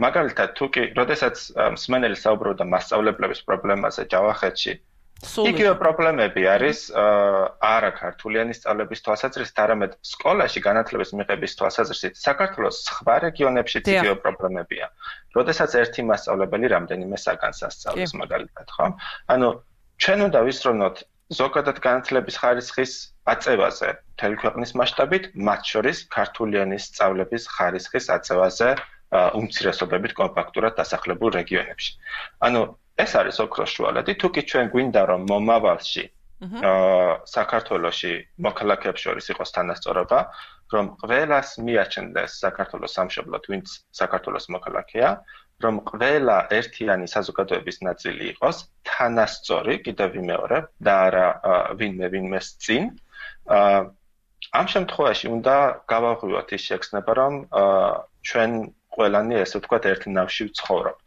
მაგალითად, თუ კი, როდესაც მსმენელი საუბრობდა მასწავლებლების პრობლემაზე ჯავახეთში, იგივე პრობლემები არის არა ქართულიანი სწავლების თვალსაზრისით, არამედ სკოლაში განათლების მიღების თვალსაზრისით საქართველოს სხვა რეგიონებშიც იგივე პრობლემებია. როდესაც ერთი მასწავლებელი რამდენიმე საგანს ასწავლის მაგალითად, ხო? ანუ ჩვენ უნდა ვისწრებოთ ზოგადად განათლების ხარისხის აწევაზე მთელი ქვეყნის მასშტაბით, მათ შორის ქართულიანი სწავლების ხარისხის აწევაზე უმცირესობებით კომპაქტურად დასახლებულ რეგიონებში. ანუ ეს არის ოქროს შუალედი, თუ კი ჩვენ გვინდა რომ მომავალში საქართველოში მოქალაქეებს შორის იყოს თანასწორობა, რომ ყველას მიაჩნდეს საქართველოს სამშობლოდ, ვინც საქართველოს მოქალაქეა, რომ ყველა ერთიანი საზოგადოების ნაწილი იყოს თანასწორი, კიდევ ვიმეორებ, და არა ვინმეს წინ. ამ შემთხვევაში უნდა გავაღვივოთ ის შეგრძნება, რომ ჩვენ ყველანი ესე ვთქვათ ერთ ნავში ვცხოვრობთ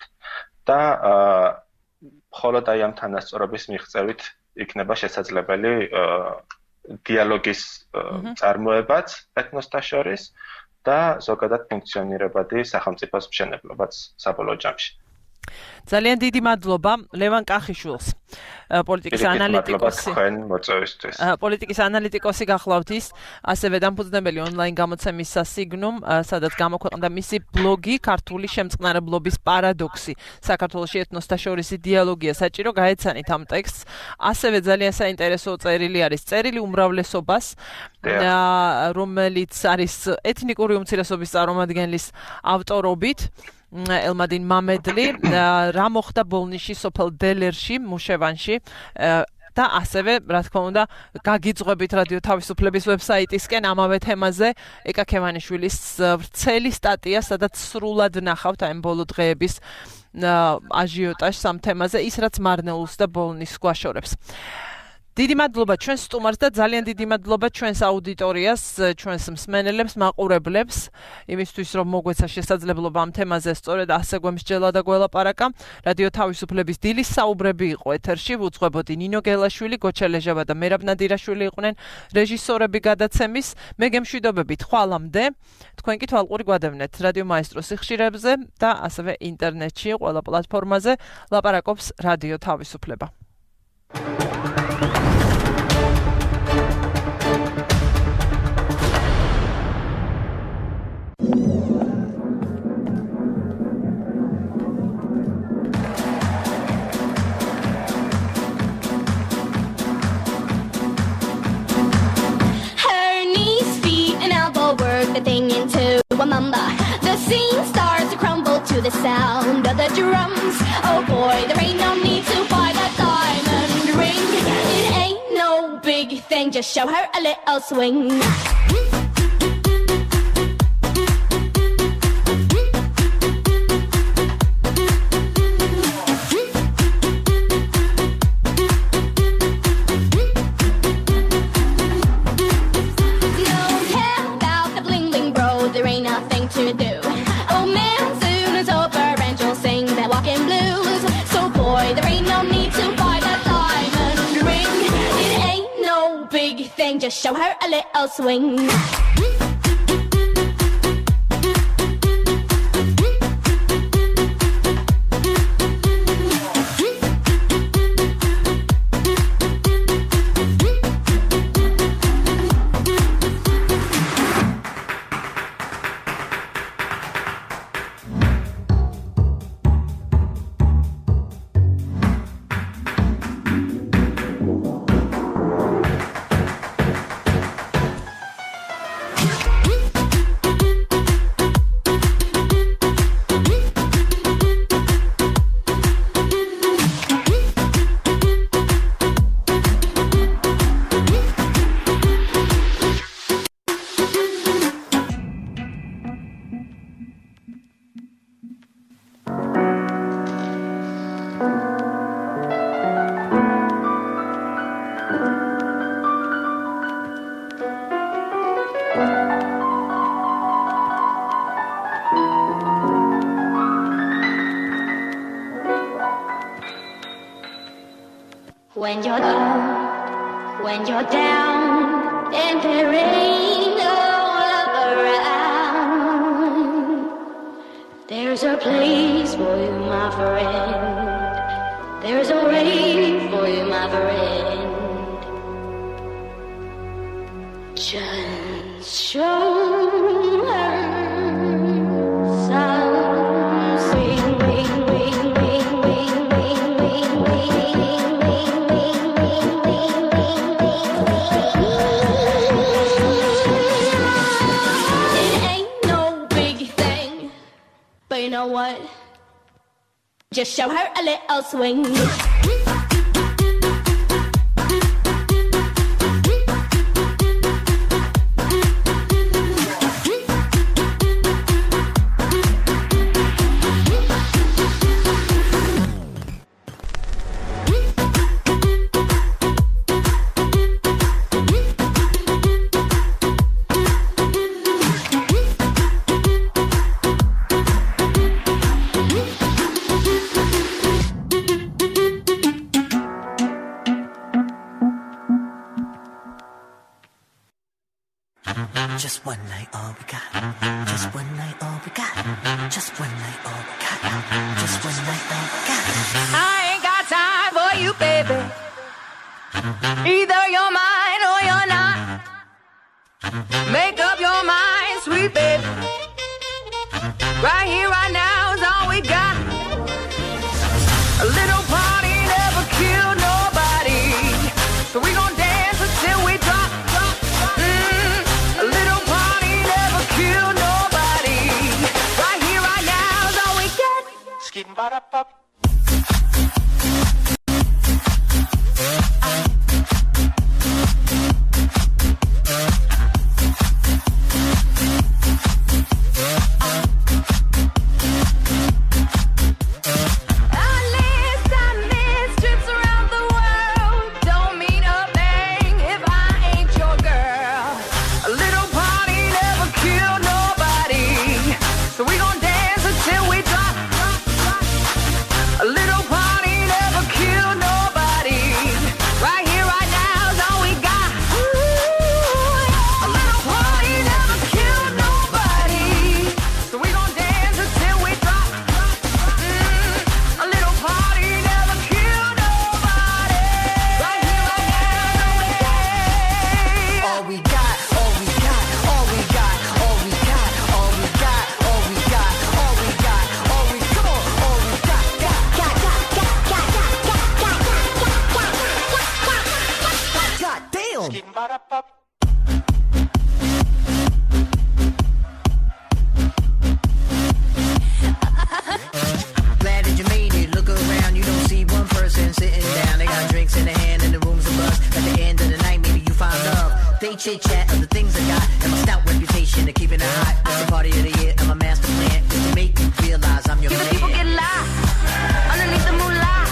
და მხოლოდ აი ამ თანასწორობის მიღწევით იქნება შესაძლებელი დიალოგის წარმოებაც ეთნოსთა შორის და ზოგადად ფუნქციონირებადი სახელმწიფოს მშენებლობაც საბოლოო ჯამში. ძალიან დიდი მადლობა ლევან კახიშვილს, პოლიტიკის ანალიტიკოსი. პოლიტიკის ანალიტიკოსი გახლავთ ის, ასევე დამფუძნებელი ონლაინ გამოცემის სასიგნუმ, სადაც გამოქვეყნდა მისი ბლოგი ქართული შემწყნარებლობის პარადოქსი. საქართველოში ეთნოსთა შორისი დიალოგია საჭირო, გაეცანით ამ ტექსტს. ასევე ძალიან საინტერესო წერილი არის წერილი უმრავლესობას, რომელიც არის ეთნიკური უმცირესობის წარმომადგენლის ავტორობით. ელმა딘 მამედლი, რა მოხდა ბოლნიში სოფელ დელერში, მუშევანში და ასევე, რა თქმა უნდა, გაგიძღვებით რადიო თავისუფლების ვებსაიტისკენ ამავე თემაზე ეკა ქევანიშვილის ვრცელი სტატია, სადაც სრულად ნახავთ ამ ბოლო დღეების აჟიოტაჟს ამ თემაზე, ის რაც მარნეულს და ბოლნისს გვაშორებს. დიდი მადლობა ჩვენს სტუმარს და ძალიან დიდი მადლობა ჩვენს აუდიტორიას, ჩვენს მსმენელებს, მაყურებლებს, იმისთვის რომ მოგვეცა შესაძლებლობა ამ თემაზე სწორედ ასე გვემსჯელა და გველაპარაკა. რადიო თავისუფლების დილის საუბრები იყო ეთერში, უძღვებოდი ნინო გელაშვილი, გოჩელეჟავა და მერაბ ნადირაშვილი იყვნენ რეჟისორები გადაცემის. მე გემშვიდობებით ხვალამდე. თქვენ კი თვალყური გვადევნეთ რადიო მაესტროს სიხშირებზე და ასევე ინტერნეტში, ყველა პლატფორმაზე ლაპარაკობს რადიო თავისუფლება. The thing into a mamba. The scene starts to crumble to the sound of the drums. Oh boy, there ain't no need to buy that diamond ring. just show her a little swing. Just show her a little swing. When you're down and there ain't no love around, there's a place for you, my friend. There's a way for you, my friend. Just show her some swing, wing, wing, wing, wing, wing, wing, wing, wing, wing, wing, wing. It ain't no big thing, but you know what? Just show her a little swing. Just one night, all we got. Just one night, all we got. Just one night, all we got. Just one night, all we got. I ain't got time for you, baby. Either you're mine or you're not. Make up your mind, sweet baby. Right here, right now is all we got. A little party never killed nobody, so we gon' dance until we drop. A little party never killed nobody. Right here, right now is all we get. Skidding ba da pop. chit chat of the things I got and my stout reputation of keeping it hot. It's the party of the year and my master plan is to make you realize I'm your man. Give the people get live underneath the moonlight.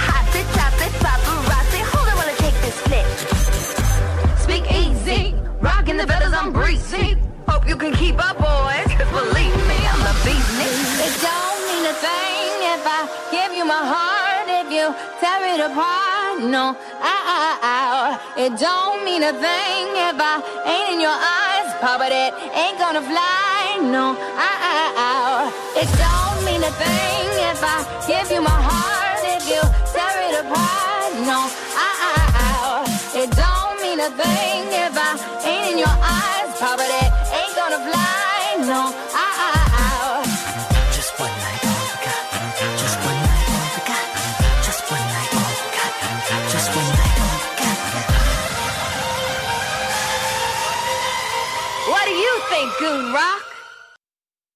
Hot to chocolate paparazzi. Hold on while I take this flick. Speak easy, rocking the feathers, I'm breezy. Hope you can keep up, boys, 'cause believe me, I'm the business. It don't mean a thing if I give you my heart, if you tear it apart. No, it don't mean a thing if I ain't in your eyes, but it ain't gonna fly. No, it don't mean a thing if I give you my heart, if you tear it apart. No, it don't mean a thing if I ain't in your eyes, but it ain't gonna fly. No, just one night all we got. Just one night all we got. Just one night all we got. Just one night all we got. What do you think, Goon Rock?